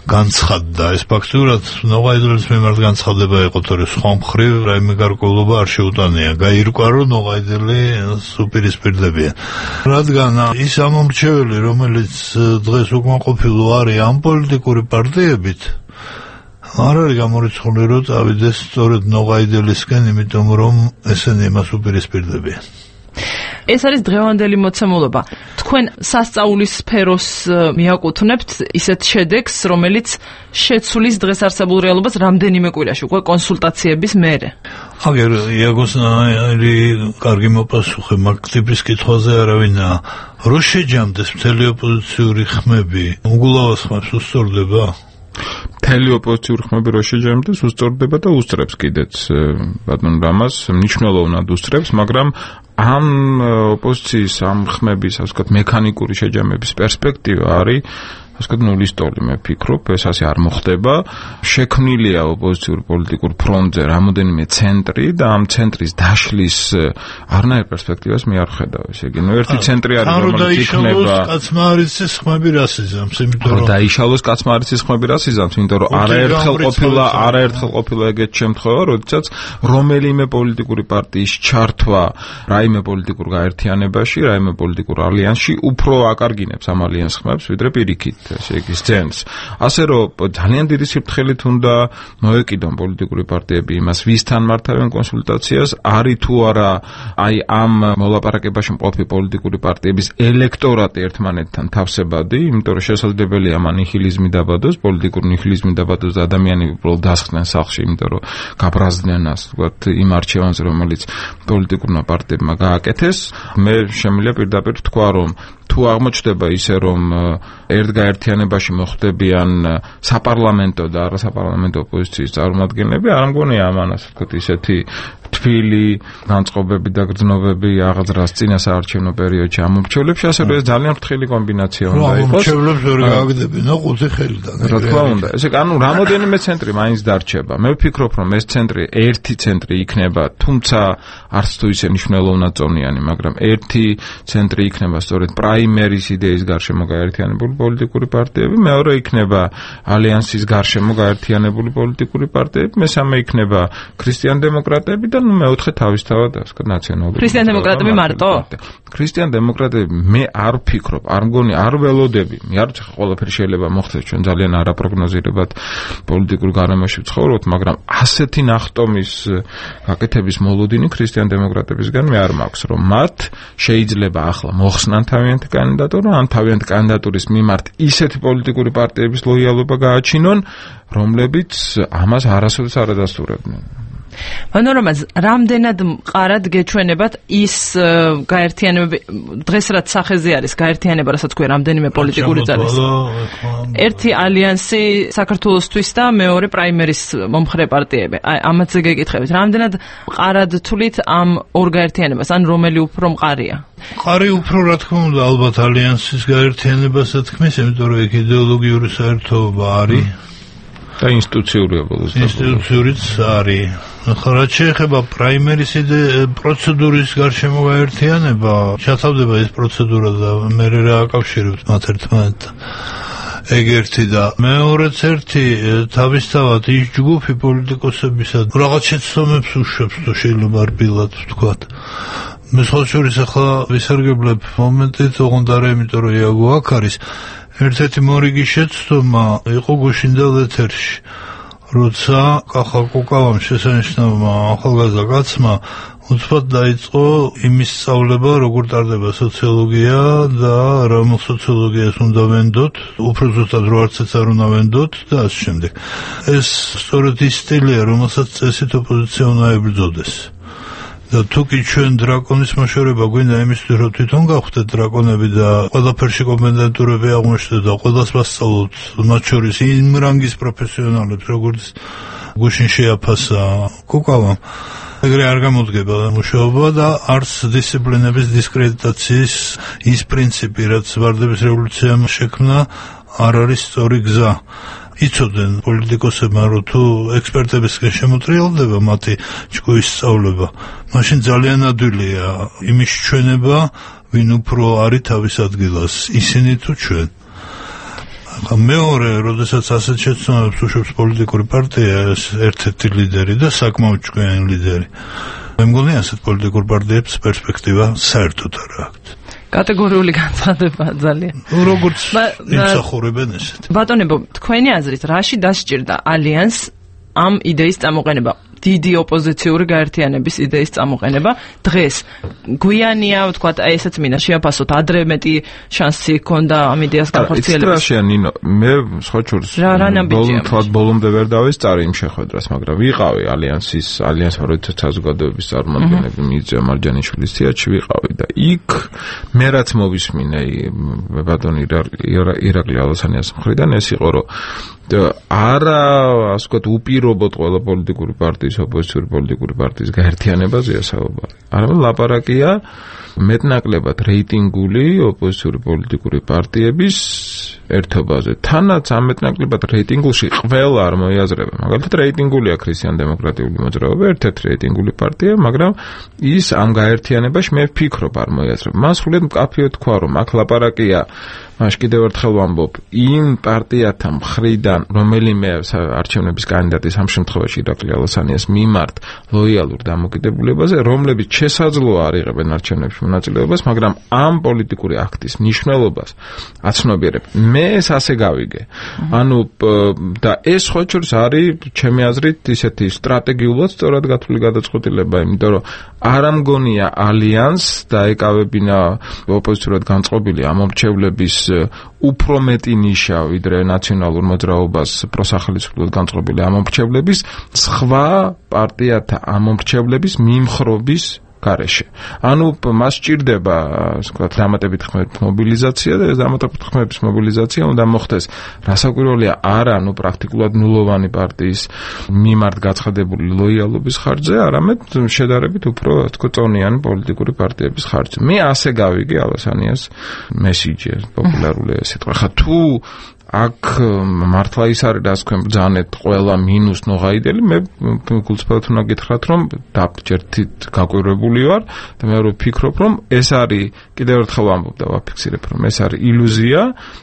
განცხადდა. ეს ფაქტურად ნოღაიდელის მიმართ განცხადება იყო, თორე სხვა მხრივ რაიმე გარკვეულობა არ შეუტანია. გაირკვა, რომ ნოღაიდელი უპირისპირდებიან. რადგან ის ამომრჩეველი, რომელიც დღეს უკმაყოფილო არის ამ პოლიტიკური პარტიებით, არ არის გამორიცხული, რომ წავიდეს სწორედ ნოღაიდელისკენ, იმიტომ რომ ესენი იმას უპირისპირდებიან. ეს არის დღევანდელი მოცემულობა. თქვენ სასწაულის სფეროს მიაკუთვნებთ ისეთ შედეგს, რომელიც შეცვლის დღეს არსებულ რეალობას რამდენიმე კვირაში, უკვე კონსულტაციების მერე. აგერ იაგოსნაირი კარგი მოპასუხე, მაგ ტიპის კითხვაზე არავინა. რო შეჯამდეს მთელი ოპოზიციური ხმები, უგულავას ხმებს უსწორდება? მთელი ოპოზიციური ხმები რო შეჯამდეს, უსწორდება და უსწრებს კიდეც ბატონ რამას, მნიშვნელოვნად უსწრებს, მაგრამ ამ ოპოზიციის ამ ხმების, ასე ვთქვათ, მექანიკური შეჯამების პერსპექტივა არის ასე ვთქვათ, ნულის ტოლი, მე ვფიქრობ, ეს ასე არ მოხდება. შექმნილია ოპოზიციურ პოლიტიკურ ფრონტზე რამოდენიმე ცენტრი და ამ ცენტრის დაშლის არნაირ პერსპექტივას მე არ ხედავ. ესე იგი, ნუ ერთი ცენტრი არის, რომელიც იქნება. კაცმა არის ეს ხმები რას იზამს, იმიტომ რომ დაიშალოს კაცმა არის ეს ხმები რას იზამს, იმიტომ რომ არაერთხელ ყოფილა, არაერთხელ ყოფილა ეგეთ შემთხვევა, როდესაც რომელიმე პოლიტიკური პარტიის ჩართვა რაიმე პოლიტიკურ გაერთიანებაში, რაიმე პოლიტიკურ ალიანსში უფრო აკარგინებს ამ ალიანს ხმებს, ვიდრე პირიქით. ესე იგი სცენს. ასე რომ ძალიან დიდი სიფრთხილით უნდა მოეკიდონ პოლიტიკური პარტიები იმას, ვისთან მართავენ კონსულტაციას, არის თუ არა აი ამ მოლაპარაკებაში მყოფი პოლიტიკური პარტიების ელექტორატი ერთმანეთთან თავსებადი, იმიტომ რომ შესაძლებელია მან ნიჰილიზმი დაბადოს, პოლიტიკური ნიჰილიზმი დაბადოს და ადამიანები უბრალოდ დასხდნენ სახლში, იმიტომ რომ გაბრაზდნენ ასე ვთქვათ იმ არჩევანზე, რომელიც პოლიტიკურმა პარტიებმა გააკეთეს. მე შემიძლია პირდაპირ თქვა, რომ თუ აღმოჩნდება ისე, რომ ერთ გაერთიანებაში მოხდებიან საპარლამენტო და არასაპარლამენტო ოპოზიციის წარმომადგენლები, არ მგონია ამან ასე ვთქვათ ისეთი თბილი განწყობები და გრძნობები აღძრას წინა საარჩევნო პერიოდში ამ მრჩევლებში, ასე რომ ეს ძალიან ფრთხილი კომბინაცია უნდა იყოს. მრჩევლებს ვერ გააგდებინო ხუთი ხელიდან. რა თქმა უნდა. ესე ანუ რამოდენიმე ცენტრი მაინც დარჩება. მე ვფიქრობ, რომ ეს ცენტრი, ერთი ცენტრი იქნება, თუმცა არც თუ ისე მნიშვნელოვნად წონიანი, მაგრამ ერთი ცენტრი იქნება სწორედ პრაიმერის იდეის გარშემო გაერთიანებული პოლიტიკური პარტიები, მეორე იქნება ალიანსის გარშემო გაერთიანებული პოლიტიკური პარტიები, მესამე იქნება ქრისტიან-დემოკრატები და ნუ მეოთხე თავისთავად ასე ვთქვათ ნაციონალური. ქრისტიან-დემოკრატები მარტო? ქრისტიან-დემოკრატები მე არ ვფიქრობ, არ მგონი, არ ველოდები. მე არ ვიცი, ყველაფერი შეიძლება მოხდეს, ჩვენ ძალიან არაპროგნოზირებად პოლიტიკურ გარემოში ვცხოვრობთ, მაგრამ ასეთი ნახტომის გაკეთების მოლოდინი ქრისტიან-დემოკრატებისგან მე არ მაქვს, რომ მათ შეიძლება ახლა მოხსნან თავიანთი კანდიდატურა, ან თავიანთი კანდიდატურის მიმართ ისეთი პოლიტიკური პარტიების ლოიალობა გააჩინონ, რომლებიც ამას არასოდეს არ ადასტურებდნენ. მანორომაც რამდენად მყარად გეჩვენებათ ის გაერთიანებები, დღეს რაც სახეზე არის გაერთიანება, რასაც ქვია რამდენიმე პოლიტიკური ძალის. ერთი ალიანსი საქართველოსთვის და მეორე პრაიმერის მომხრე პარტიები. აი ამაზე გეკითხებით, რამდენად მყარად თვლით ამ ორ გაერთიანებას, ან რომელი უფრო მყარია? მყარი უფრო რა თქმა უნდა ალბათ ალიანსის გაერთიანებას თქმის, იმიტომ რომ ეგ იდეოლოგიური საერთოობა არის. და ინსტიტუციური ბოლოს ინსტიტუციურიც არის. ახლა რაც შეეხება პრაიმერის პროცედურის გარშემო გაერთიანება, ჩათავდება ეს პროცედურა და მე რა აკავშირებთ მათ ერთმანეთთან. ეგ ერთი და მეორეც ერთი თავისთავად ის ჯგუფი პოლიტიკოსებისა რაღაც შეცდომებს უშვებს, თუ შეიძლება რბილად ვთქვათ. მე ხოლმე ახლა ვისარგებლებ მომენტით, ოღონდ არა იმიტომ რომ იაგო აქ არის. ერთ-ერთი მორიგი შეცდომა იყო გუშინდელ ეთერში, როცა კახა კუკავამ შესანიშნავმა ახალგაზრდა კაცმა უცბად დაიწყო იმის სწავლება, როგორ ტარდება სოციოლოგია და რა სოციოლოგიას უნდა ვენდოთ, უფრო ზუსტად რო არცეც არ უნდა ვენდოთ და ასე შემდეგ. ეს სწორედ ის სტილია, რომელსაც წესით ოპოზიცია უნდა ებრძოდეს. და თუ კი ჩვენ დრაკონის მოშორება გვინდა იმისთვის, რომ თვითონ გავხდეთ დრაკონები და ყველაფერში კომპეტენტურები აღმოჩნდეთ და ყველას ვასწავლოთ, მათ შორის იმ რანგის პროფესიონალებს, როგორც გუშინ შეაფასა კუკავამ. ეგრე არ გამოდგება მუშაობა და არც დისციპლინების დისკრედიტაციის ის პრინციპი, რაც ვარდების რევოლუციამ შექმნა, არ არის სწორი გზა. იცოდნენ პოლიტიკოსებმა, რომ თუ ექსპერტებისგან შემოტრიალდება მათი ჭკუის სწავლება, მაშინ ძალიან ადვილია იმის ჩვენება, ვინ უფრო არის თავის ადგილას, ისინი თუ ჩვენ. მეორე, როდესაც ასეთ შეცდომებს უშვებს პოლიტიკური პარტია, ერთ-ერთი ლიდერი და საკმაოდ ჭკვიანი ლიდერი. მე მგონი ასეთ პოლიტიკურ პარტიებს პერსპექტივა საერთოდ არ აქვს. კატეგორიული განცხადება ძალიან. როგორც იმსახურებენ ესეთ. ბატონებო, თქვენი აზრით, რაში დასჭირდა ალიანს ამ იდეის წამოყენება? დიდი ოპოზიციური გაერთიანების იდეის წამოყენება დღეს გვიანია, ვთქვათ, აი ესეც მინდა შეაფასოთ, ადრე მეტი შანსი ჰქონდა ამ იდეას განხორციელების. ისტრაშია ნინო, მე სხვაჩურს ბოლომდე ბოლომდე ვერ დავესწარი იმ შეხვედრას, მაგრამ ვიყავი ალიანსის ალიანს პროექტის საზოგადოების წარმომადგენლები მიწია მარჯანიშვილის თეატრში ვიყავი და იქ მე რაც მოვისმინე ბატონი ირაკლი ალასანიას მხრიდან ეს იყო, რომ არა, ასე ვთქვათ, უპირობოდ ყველა პოლიტიკური პარტიის, ოპოზიციური პოლიტიკური პარტიის გაერთიანებაზეა საუბარი. არამედ ლაპარაკია მეტნაკლებად რეიტინგული ოპოზიციური პოლიტიკური პარტიების ერთობაზე. თანაც ამ მეტნაკლებად რეიტინგულში ყველა არ მოიაზრება. მაგალითად, რეიტინგულია ქრისტიან-დემოკრატიული მოძრაობა, ერთ-ერთი რეიტინგული პარტია, მაგრამ ის ამ გაერთიანებაში მე ვფიქრობ არ მოიაზრება. მას სულით მკაფიოდ თქვა, რომ აქ ლაპარაკია მაშ კიდევ ერთხელ ვამბობ, იმ პარტიათა მხრიდან, რომელიმე არჩევნების კანდიდატის ამ შემთხვევაში ირაკლი ალასანიას მიმართ ლოიალურ დამოკიდებულებაზე, რომლებიც შესაძლოა არ იღებენ არჩევნებში მონაწილეობას, მაგრამ ამ პოლიტიკური აქტის მნიშვნელობას აცნობიერებ. მე ეს ასე გავიგე. ანუ და ეს ხოჭურს არის ჩემი აზრით ისეთი სტრატეგიულად სწორად გათვლილი გადაწყვეტილება, იმიტომ რომ არ ამგონია ალიანს დაეკავებინა ოპოზიციურად განწყობილი ამორჩევლების უფრო მეტი ნიშა ვიდრე ნაციონალურ მოძრაობას პროსახელისმწიფოდ განწყობილი ამორჩევლების სხვა პარტიათა ამორჩევლების მიმხრობის გარეშე. ანუ მას სჭირდება, ასე ვთქვათ, დამატებით ხმების მობილიზაცია და ეს დამატებით ხმების მობილიზაცია უნდა მოხდეს რასაკვირველია არა, ну პრაქტიკულად ნულოვანი პარტიის მიმართ გაცხადებული ლოიალობის ხარჯზე, არამედ შედარებით უფრო, ასე ვთქვათ, წონიანი პოლიტიკური პარტიების ხარჯზე. მე ასე გავიგე ალასანიას მესიჯი, პოპულარული სიტყვა. ხა თუ აქ მართლა ის არის, რაც თქვენ ბრძანეთ ყველა მინუს ნოღაიდელი, მე გულწრფელად უნდა გითხრათ, რომ დაბჭერთით გაკვირვებული ვარ და მე ვფიქრობ, რომ ეს არის, კიდევ ერთხელ ვამბობ და ვაფიქსირებ, რომ ეს არის ილუზია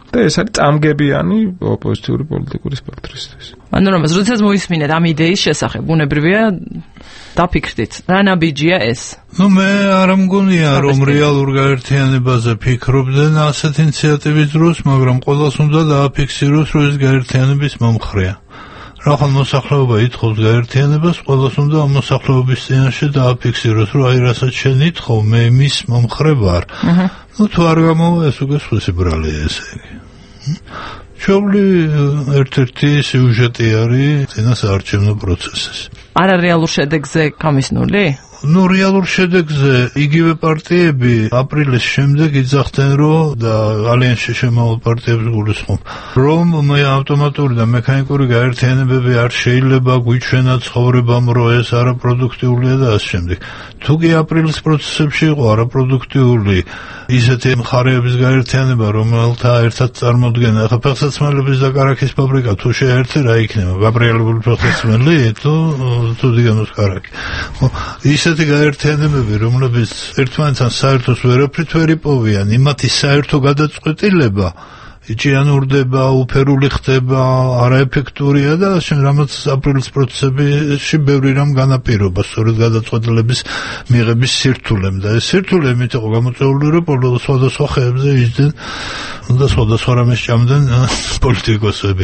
და ეს არის წამგებიანი ოპოზიციური პოლიტიკური სპექტრისთვის. ანუ რომ როდესაც მოისმინეთ ამ იდეის შესახებ, ბუნებრივია დაფიქრდით, რა ნაბიჯია ეს? ну მე არ მგონია რომ რეალურ გაერთიანებაზე ფიქრობდნენ ასეთ ინიციატივის დროს, მაგრამ ყველას უნდა დააფიქსიროს, რომ ეს გაერთიანების მომხრეა. რახან მოსახლეობა ითხოვს გაერთიანებას, ყველას უნდა ამ მოსახლეობის წინაშე დააფიქსიროს, რომ აი რასაც შენ ითხოვ, მე მის მომხრე ვარ. ну თუ არ გამოვა ეს უკვე სხვისი ბრალია ესე იგი. ჩვეული ერთ-ერთი სიუჟეტი არის წინასაარჩევნო პროცესის. არა რეალურ შედეგზე გამისნული? ну რეალურ შედეგზე იგივე პარტიები აპრილის შემდეგ იძახდნენ, რომ და ალიანსში შემავალ პარტიებს გულისხმობ, რომ მე ავტომატური და მექანიკური გაერთიანებები არ შეიძლება გვიჩვენა ცხოვრებამ, რომ ეს არაპროდუქტიულია და ასე შემდეგ. თუ კი აპრილის პროცესებში იყო არაპროდუქტიული ისეთი მხარეების გაერთიანება, რომელთა ერთად წარმოდგენა, ახლა ფეხსაცმელების და კარაქის ფაბრიკა თუ შეერთე რა იქნება? გაბრიელებული ფეხსაცმელი თუ თუ დგანოს კარაქი. ისეთი გაერთიანებები, რომლებიც ერთმანეთთან საერთოს ვერაფრით ვერ იპოვიან, იმათი საერთო გადაწყვეტილება იჭიანურდება, უფერული ხდება, არაეფექტურია და შენ რამაც აპრილის პროცესებში ბევრი რამ განაპირობა სწორედ გადაწყვეტილების მიღების სირთულემ და ეს სირთულე იმით იყო გამოწვეული, რომ სხვადასხვა ხეებზე იჯდნენ და სხვადასხვა რამეს ჭამდნენ პოლიტიკოსები.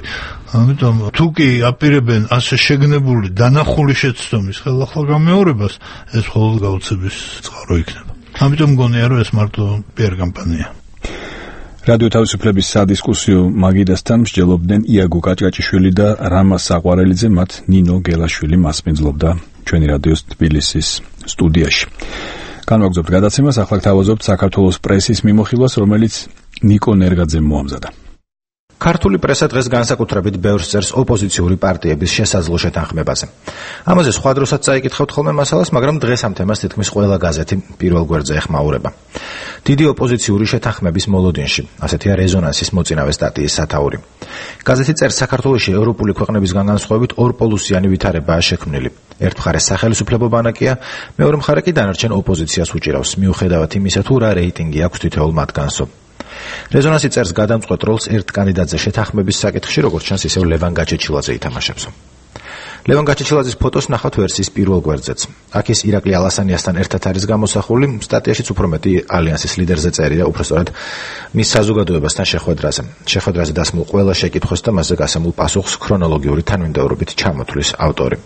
ამიტომ თუ კი აპირებენ ასე შეგნებული დანახული შეცდომის ხელახლა გამეორებას, ეს მხოლოდ გაუცების წყარო იქნება. ამიტომ მგონია, რომ ეს მარტო პიარ კამპანია. რადიო თავისუფლების სადისკუსიო მაგიდასთან მსჯელობდნენ იაგო კაჭკაჭიშვილი და რამა საყვარელიძე, მათ ნინო გელაშვილი მასპინძლობდა ჩვენი რადიოს თბილისის სტუდიაში. განვაგრძობთ გადაცემას, ახლა გთავაზობთ საქართველოს პრესის მიმოხილვას, რომელიც ნიკო ნერგაძემ მოამზადა. ქართული პრესა დღეს განსაკუთრებით ბევრს წერს ოპოზიციური პარტიების შესაძლო შეთანხმებაზე. ამაზე სხვა დროსაც წაიკითხავთ ხოლმე მასალას, მაგრამ დღეს ამ თემას თითქმის ყველა გაზეთი პირველ გვერდზე ეხმაურება. დიდი ოპოზიციური შეთანხმების მოლოდინში, ასეთია რეზონანსის მოწინავე სტატიის სათაური. გაზეთი წერს, საქართველოში ევროპული ქვეყნებისგან განსხვავებით ორპოლუსიანი ვითარებაა შექმნილი. ერთ მხარეს სახელმწიფო ბანაკია, მეორე მხარე კი დანარჩენ ოპოზიციას უჭირავს, მიუხედავად იმისა, თუ რა რეიტინგი აქვს თითოეულ მათგანსო. რეზონანსი წერს გადამწყვეტ როლს ერთ კანდიდატზე შეთანხმების საკითხში, როგორც ჩანს, ისევ ლევან გაჩეჩილაძე ითამაშებს. ლევან გაჩეჩილაძის ფოტოს ნახავთ ვერსიის პირველ გვერდზეც. აქ ის ირაკლი ალასანიასთან ერთად არის გამოსახული, სტატიაშიც უფრო მეტი ალიანსის ლიდერზე წერია, უბრალოდ მის საზოგადოებასთან შეხვედრაზე. შეხვედრაზე დასმულ ყველა შეკითხვას და მასზე გასამულ პასუხს ქრონოლოგიური თანმიმდევრობით ჩამოთვლის ავტორი.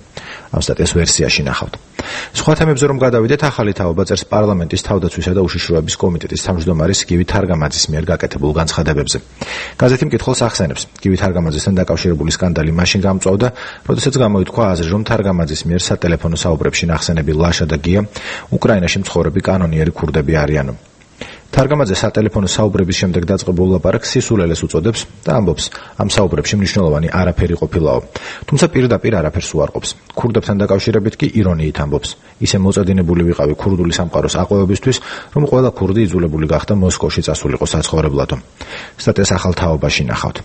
ამ სტატიას ვერსიაში ნახავთ. სხვა თემებზე რომ გადავიდეთ, ახალი თაობა წერს პარლამენტის თავდაცვისა და უშიშროების კომიტეტის თავმჯდომარის გივი თარგამაძის მიერ გაკეთებულ განცხადებებზე. გაზეთი მკითხველს ახსენებს, გივი თარგამაძესთან დაკავშირებული სკანდალი მაშინ გამწვავდა, როდესაც გამოითქვა აზრი, რომ თარგამაძის მიერ სატელეფონო საუბრებში ნახსენები ლაშა და გია უკრაინაში მცხოვრები კანონიერი ქურდები არიანო. თარგამაძე სატელეფონო საუბრების შემდეგ დაწყებულ ლაპარაკს სისულელეს უწოდებს და ამბობს, ამ საუბრებში მნიშვნელოვანი არაფერი ყოფილაო. თუმცა პირდაპირ არაფერს უარყოფს. ქურდებთან დაკავშირებით კი ირონიით ამბობს. ისე მოწადინებული ვიყავი ქურდული სამყაროს აყვავებისთვის, რომ ყველა ქურდი იძულებული გახდა მოსკოვში წასულიყო საცხოვრებლადო. სტატიას ახალ თაობაში ნახავთ.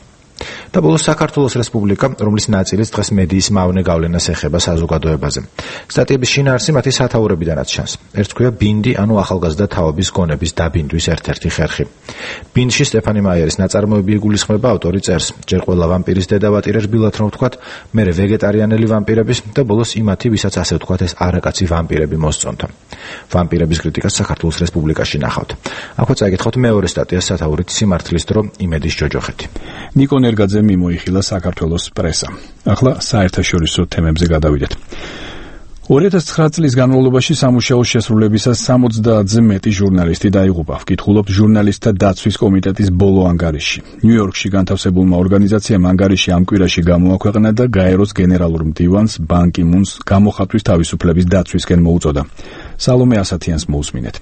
და ბოლოს საქართველოს რესპუბლიკა, რომლის ნაწილიც დღეს მედიის მავნე გავლენას ეხება საზოგადოებაზე. სტატიების შინაარსი მათი სათაურებიდანაც ჩანს. ერთ ქვია ბინდი, ანუ ახალგაზრდა თაობის გონების დაბინდვის ერთ-ერთი ხერხი. ბინდში სტეფანი მაიერის ნაწარმოები იგულისხმება, ავტორი წერს, ჯერ ყველა ვამპირის დედა ვატირებს ბილად რომ ვთქვათ, მერე ვეგეტარიანელი ვამპირების და ბოლოს იმათი, ვისაც ასე ვთქვათ, ეს არაკაცი ვამპირები მოსწონთა. ვამპირების კრიტიკას საქართველოს რესპუბლიკაში ნახავთ. აქვე წაიკითხავთ მეორე სტატიას სათაურით სიმართლის დრო იმედის ჯოჯოხეთი. ნიკო ნერგაძე მიმოიხილა საქართველოს პრესა. ახლა საერთაშორისო თემებზე გადავიდეთ. ორი ათას ცხრა წლის განმავლობაში სამუშაოს შესრულებისას სამოცდაათზე მეტი ჟურნალისტი დაიღუპა. ვკითხულობთ ჟურნალისტთა დაცვის კომიტეტის ბოლო ანგარიშში. ნიუ-იორკში განთავსებულმა ორგანიზაციამ ანგარიში ამ კვირაში გამოაქვეყნა და გაეროს გენერალურ მდივანს ბან კი მუნს გამოხატვის თავისუფლების დაცვისკენ მოუწოდა. სალომე ასათიანს მოусმინეთ.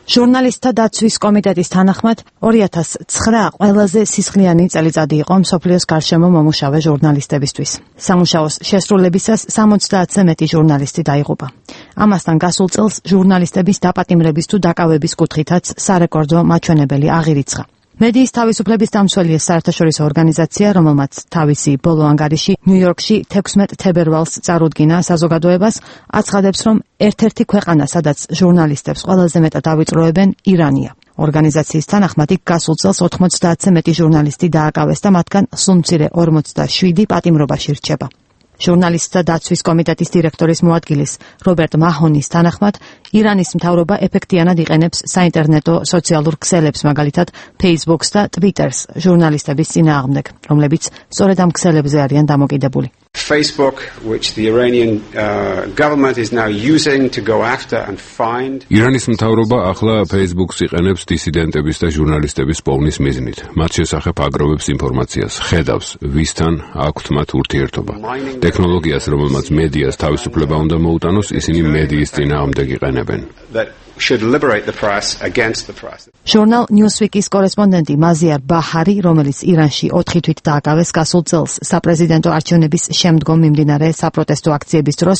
ჟურნალისტთა დაცვის კომიტეტის თანახმად ორი ათას ცხრა ყველაზე სისხლიანი წელიწადი იყო მსოფლიოს გარშემო მომუშავე ჟურნალისტებისთვის. სამუშაოს შესრულებისას სამოცდაათზე მეტი ჟურნალისტი დაიღუპა. ამასთან გასულ წელს ჟურნალისტების დაპატიმრების თუ დაკავების კუთხითაც სარეკორდო მაჩვენებელი აღირიცხა. მედიის თავისუფლების დამცველი ეს საერთაშორისო ორგანიზაცია, რომელმაც თავისი ბოლო ანგარიში ნიუ-იორკში თექვსმეტ თებერვალს წარუდგინა საზოგადოებას, აცხადებს, რომ ერთ-ერთი ქვეყანა, სადაც ჟურნალისტებს ყველაზე მეტად ავიწროებენ, ირანია. ორგანიზაციის თანახმად იქ გასულ წელს ოთხმოცდაათზე მეტი ჟურნალისტი დააკავეს და მათგან სულ მცირე ორმოცდაშვიდი პატიმრობაში რჩება. ჟურნალისტთა დაცვის კომიტეტის დირექტორის მოადგილის რობერტ მაჰონის თანახმად, ირანის მთავრობა ეფექტიანად იყენებს საინტერნეტო სოციალურ ქსელებს, მაგალითად Facebook-ს და Twitter-ს ჟურნალისტების წინააღმდეგ, რომლებიც სწორედ ამ ქსელებზე არიან დამოკიდებული. Facebook, which the Iranian uh, government is now using to go after and find. ირანის მთავრობა ახლა Facebook-ს იყენებს დისიდენტების და ჟურნალისტების პოვნის მიზნით. მათ შესახებ აგროვებს ინფორმაციას, ხედავს, ვისთან აქვთ მათ ურთიერთობა. ტექნოლოგიას, რომელმაც მედიას თავისუფლება უნდა მოუტანოს, ისინი მედიის წინააღმდეგ იყენებენ. should liberate the press against the press. ჟურნალ Newsweek-ის კორესპონდენტი მაზიარ ბაჰარი, რომელიც ირანში ოთხი თვით დააკავეს გასულ წელს საპრეზიდენტო არჩევნების შემდგომ მიმდინარე საპროტესტო აქციების დროს,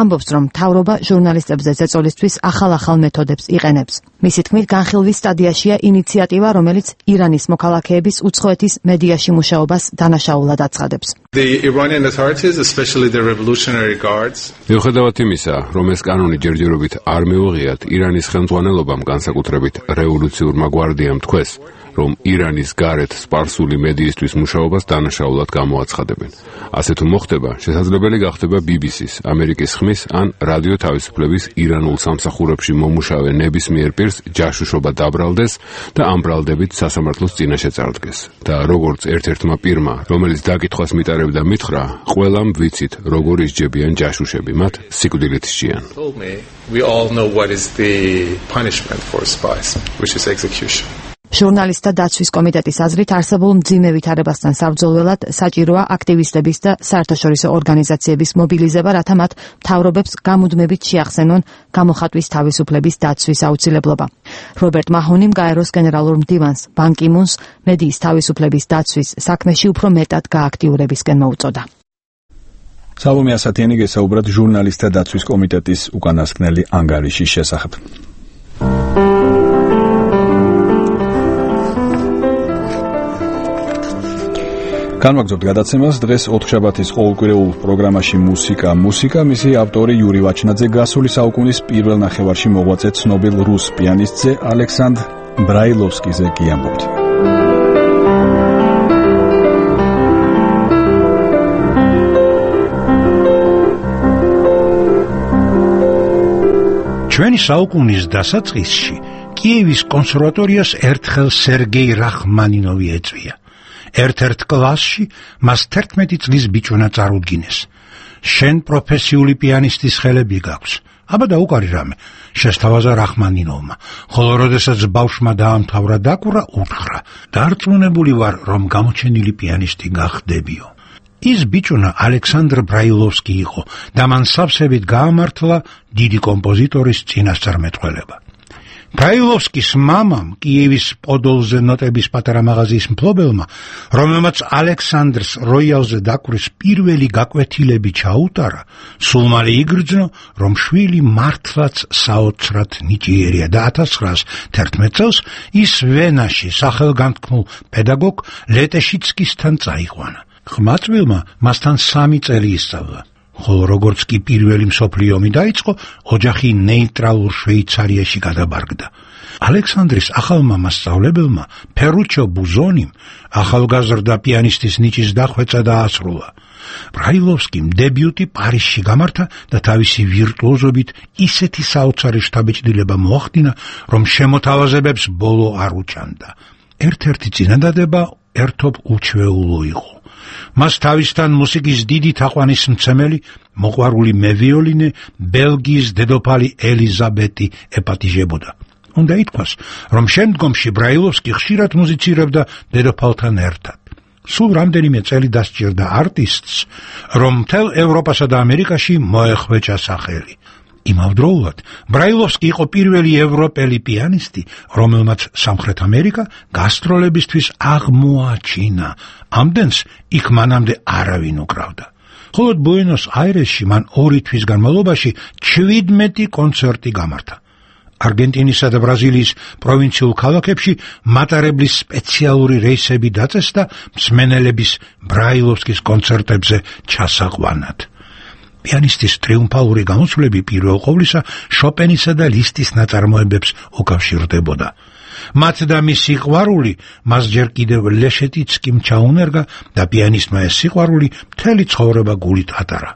ამბობს, რომ მთავრობა ჟურნალისტებზე ზეწოლისთვის ახალ-ახალ მეთოდებს იყენებს. მისი თქმით, განხილვის სტადიაშია ინიციატივა, რომელიც ირანის მოქალაქეების უცხოეთის მედიაში მუშაობას დანაშაულად აცხადებს. The Iranian authorities, especially the revolutionary guards, მიუხედავად იმისა, რომ ეს კანონი ჯერჯერობით არ მიუღიათ, ირანის ხელმძღვანელობამ განსაკუთრებით რევოლუციურმა გვარდიამ თქვეს, რომ ირანის გარეთ სპარსული მედიისთვის მუშაობას დანაშაულად გამოაცხადებენ. ასე თუ მოხდება, შესაძლებელი გახდება ბი ბი სის, ამერიკის ხმის ან რადიო თავისუფლების ირანულ სამსახურებში მომუშავე ნებისმიერ პირს ჯაშუშობა დაბრალდეს და ამ ბრალდებით სასამართლოს წინაშე წარდგეს. და როგორც ერთ-ერთმა პირმა, რომელიც დაკითხვას მიტარებდა მითხრა, ყველამ ვიცით, როგორ ისჯებიან ჯაშუშები, მათ სიკვდილით სჯიან. we all know what is the punishment for spies, which is execution. ჟურნალისტთა დაცვის კომიტეტის აზრით არსებულ მძიმე ვითარებასთან საბრძოლველად საჭიროა აქტივისტების და საერთაშორისო ორგანიზაციების მობილიზება, რათა მათ მთავრობებს გამუდმებით შეახსენონ გამოხატვის თავისუფლების დაცვის აუცილებლობა. რობერტ მაჰონიმ გაეროს გენერალურ მდივანს ბან კი მუნს მედიის თავისუფლების დაცვის საქმეში უფრო მეტად გააქტიურებისკენ მოუწოდა. სალომე ასათიანი გესაუბრათ ჟურნალისტთა დაცვის კომიტეტის უკანასკნელი ანგარიშის შესახებ. განვაგრძობთ გადაცემას. დღეს ოთხშაბათის ყოველკვირეულ პროგრამაში მუსიკა მუსიკა მისი ავტორი იური ვაჩნაძე გასული საუკუნის პირველ ნახევარში მოღვაწე ცნობილ რუს პიანისტზე ალექსანდრ ბრაილოვსკიზე გიამბობთ. ჩვენი საუკუნის დასაწყისში კიევის კონსერვატორიას ერთხელ სერგეი რახმანინოვი ეწვია. ერთ-ერთ კლასში მას თერთმეტი წლის ბიჭუნა წარუდგინეს. შენ პროფესიული პიანისტის ხელები გაქვს. აბა დაუკარი რამე, შესთავაზა რახმანინოვმა, ხოლო როდესაც ბავშვმა დაამთავრა დაკვრა, უთხრა: დარწმუნებული ვარ, რომ გამოჩენილი პიანისტი გახდებიო. ის ბიჭუნა ალექსანდრ ბრაილოვსკი იყო და მან სავსებით გაამართლა დიდი კომპოზიტორის წინასწარმეტყველება. ბრაილოვსკის მამამ, კიევის პოდოლზე ნოტების პატარა მაღაზიის მფლობელმა, რომელმაც ალექსანდრს როიალზე დაკვრის პირველი გაკვეთილები ჩაუტარა, სულ მალე იგრძნო, რომ შვილი მართლაც საოცრად ნიჭიერია და ათას ცხრაას თერთმეტ წელს ის ვენაში სახელგანთქმულ პედაგოგ ლეტეშიცკისთან წაიყვანა. ხმაწვილმა მასთან სამი წელი ისწავლა. ხოლო როგორც კი პირველი მსოფლიო ომი დაიწყო, ოჯახი ნეიტრალურ შვეიცარიაში გადაბარგდა. ალექსანდრის ახალმა მასწავლებელმა, ფერუჩო ბუზონიმ, ახალგაზრდა პიანისტის ნიჭის დახვეწა დაასრულა. ბრაილოვსკიმ დებიუტი პარიზში გამართა და თავისი ვირტუოზობით ისეთი საოცარი შთაბეჭდილება მოახდინა, რომ შემოთავაზებებს ბოლო არ უჭანდა. ერთ-ერთი წინადადება ერთობ უჩვეულო იყო. მას თავისთან მუსიკის დიდი თაყვანისმცემელი, მოყვარული მევიოლინე, ბელგიის დედოფალი ელიზაბეტი ეპატიჟებოდა. უნდა ითქვას, რომ შემდგომში ბრაილოვსკი ხშირად მუსიცირებდა დედოფალთან ერთად. სულ რამდენიმე წელი დასჭირდა არტისტს, რომ მთელ ევროპასა და ამერიკაში მოეხვეჭა სახელი. იმავდროულად, ბრაილოვსკი იყო პირველი ევროპელი პიანისტი, რომელმაც სამხრეთ ამერიკა გასტროლებისთვის აღმოაჩინა. ამდენს იქ მანამდე არავინ უკრავდა. მხოლოდ ბუენოს-აირესში მან ორი თვის განმავლობაში ჩვიდმეტი კონცერტი გამართა. არგენტინისა და ბრაზილიის პროვინციულ ქალაქებში მატარებლის სპეციალური რეისები დაწესდა მსმენელების ბრაილოვსკის კონცერტებზე ჩასაყვანად. პიანისტის ტრიუმფალური გამოსვლები პირველ ყოვლისა შოპენისა და ლისტის ნაწარმოებებს უკავშირდებოდა. მათ და მის სიყვარული მას ჯერ კიდევ ლეშეტიცკიმ ჩაუნერგა და პიანისტმა ეს სიყვარული მთელი ცხოვრება გულით ატარა.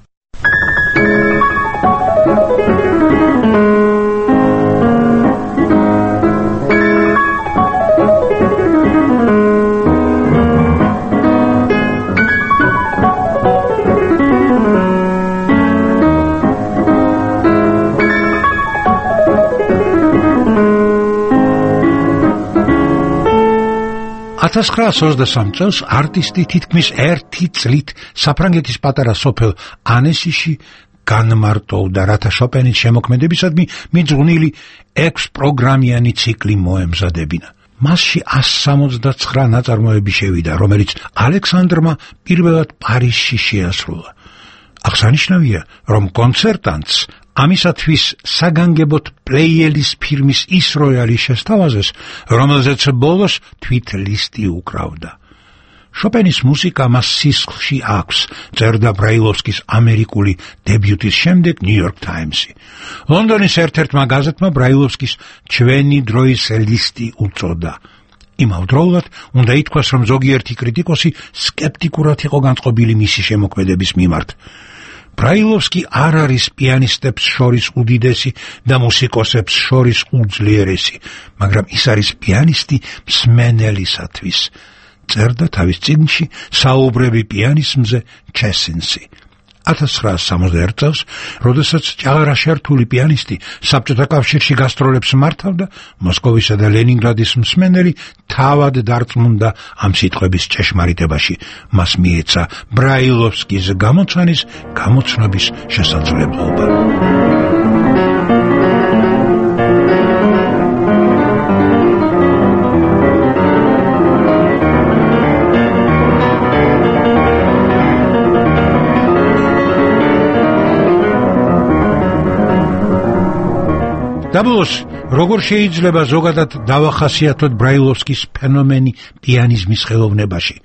ათას ცხრაას ოცდასამ წელს არტისტი თითქმის ერთი წლით საფრანგეთის პატარა სოფელ ანესიში განმარტოვდა, რათა შოპენის შემოქმედებისადმი მიძღვნილი ექვსპროგრამიანი ციკლი მოემზადებინა. მასში ასი სამოცდაცხრა ნაწარმოები შევიდა, რომელიც ალექსანდრმა პირველად პარიზში შეასრულა. აღსანიშნავია, რომ კონცერტანტს ამისათვის საგანგებოდ პლეიელის ფირმის ის როიალი შესთავაზეს, რომელზეც ბოლოს თვით ლისტი უკრავდა. შოპენის მუსიკა მას სისხლში აქვს, წერდა ბრაილოვსკის ამერიკული დებიუტის შემდეგ ნიუ-იორკ ტაიმსი. ლონდონის ერთ-ერთმა გაზეთმა ბრაილოვსკის ჩვენი დროის ლისტი უწოდა. იმავდროულად უნდა ითქვას, რომ ზოგიერთი კრიტიკოსი სკეპტიკურად იყო განწყობილი მისი შემოქმედების მიმართ. ბრაილოვსკი არ არის პიანისტებს შორის უდიდესი და მუსიკოსებს შორის უძლიერესი, მაგრამ ის არის პიანისტი მსმენელისათვის. წერდა თავის წიგნში საუბრები პიანიზმზე ჩესინსი. ათას ცხრაასი სამოცდაერთი წელს, როდესაც ჭაღარა შერთული პიანისტი საბჭოთა კავშირში გასტროლებს მართავდა, მოსკოვისა და ლენინგრადის მსმენელი თავად დარწმუნდა ამ სიტყვების ჭეშმარიტებაში. მას მიეცა ბრაილოვსკის გამოცანის გამოცნობის შესაძლებლობა. დაბლოს, როგორ შეიძლება ზოგადად დავახასიათოთ ბრაილოვსკის ფენომენი პიანიზმის ხელოვნებაში?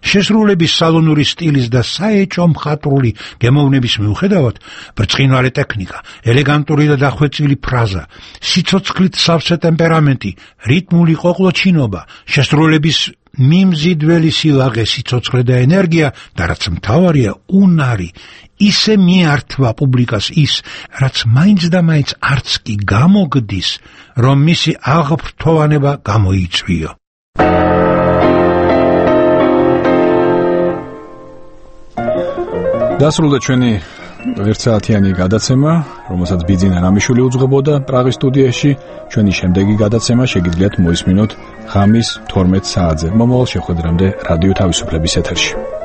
შესრულების სალონური სტილის და საეჭო მხატვრული გემოვნების მიუხედავად, ბრწყინვალე ტექნიკა, ელეგანტური და დახვეწილი ფრაზა, სიცოცხლით სავსე ტემპერამენტი, რიტმული ყოყლოჩინობა, შესრულების მიმზიდველი სილაღე, სიცოცხლე და ენერგია და რაც მთავარია, უნარი ისე მიართვა პუბლიკას ის, რაც მაინც და მაინც არც კი გამოგდის, რომ მისი აღფრთოვანება გამოიწვიო. დასრულდა ჩვენი ერთსაათიანი გადაცემა, რომელსაც ბიძინა რამიშვილი უძღვებოდა პრაღის სტუდიაში. ჩვენი შემდეგი გადაცემა შეგიძლიათ მოისმინოთ ღამის თორმეტ საათზე მომავალ შეხვედრამდე რადიო თავისუფლების ეთერში.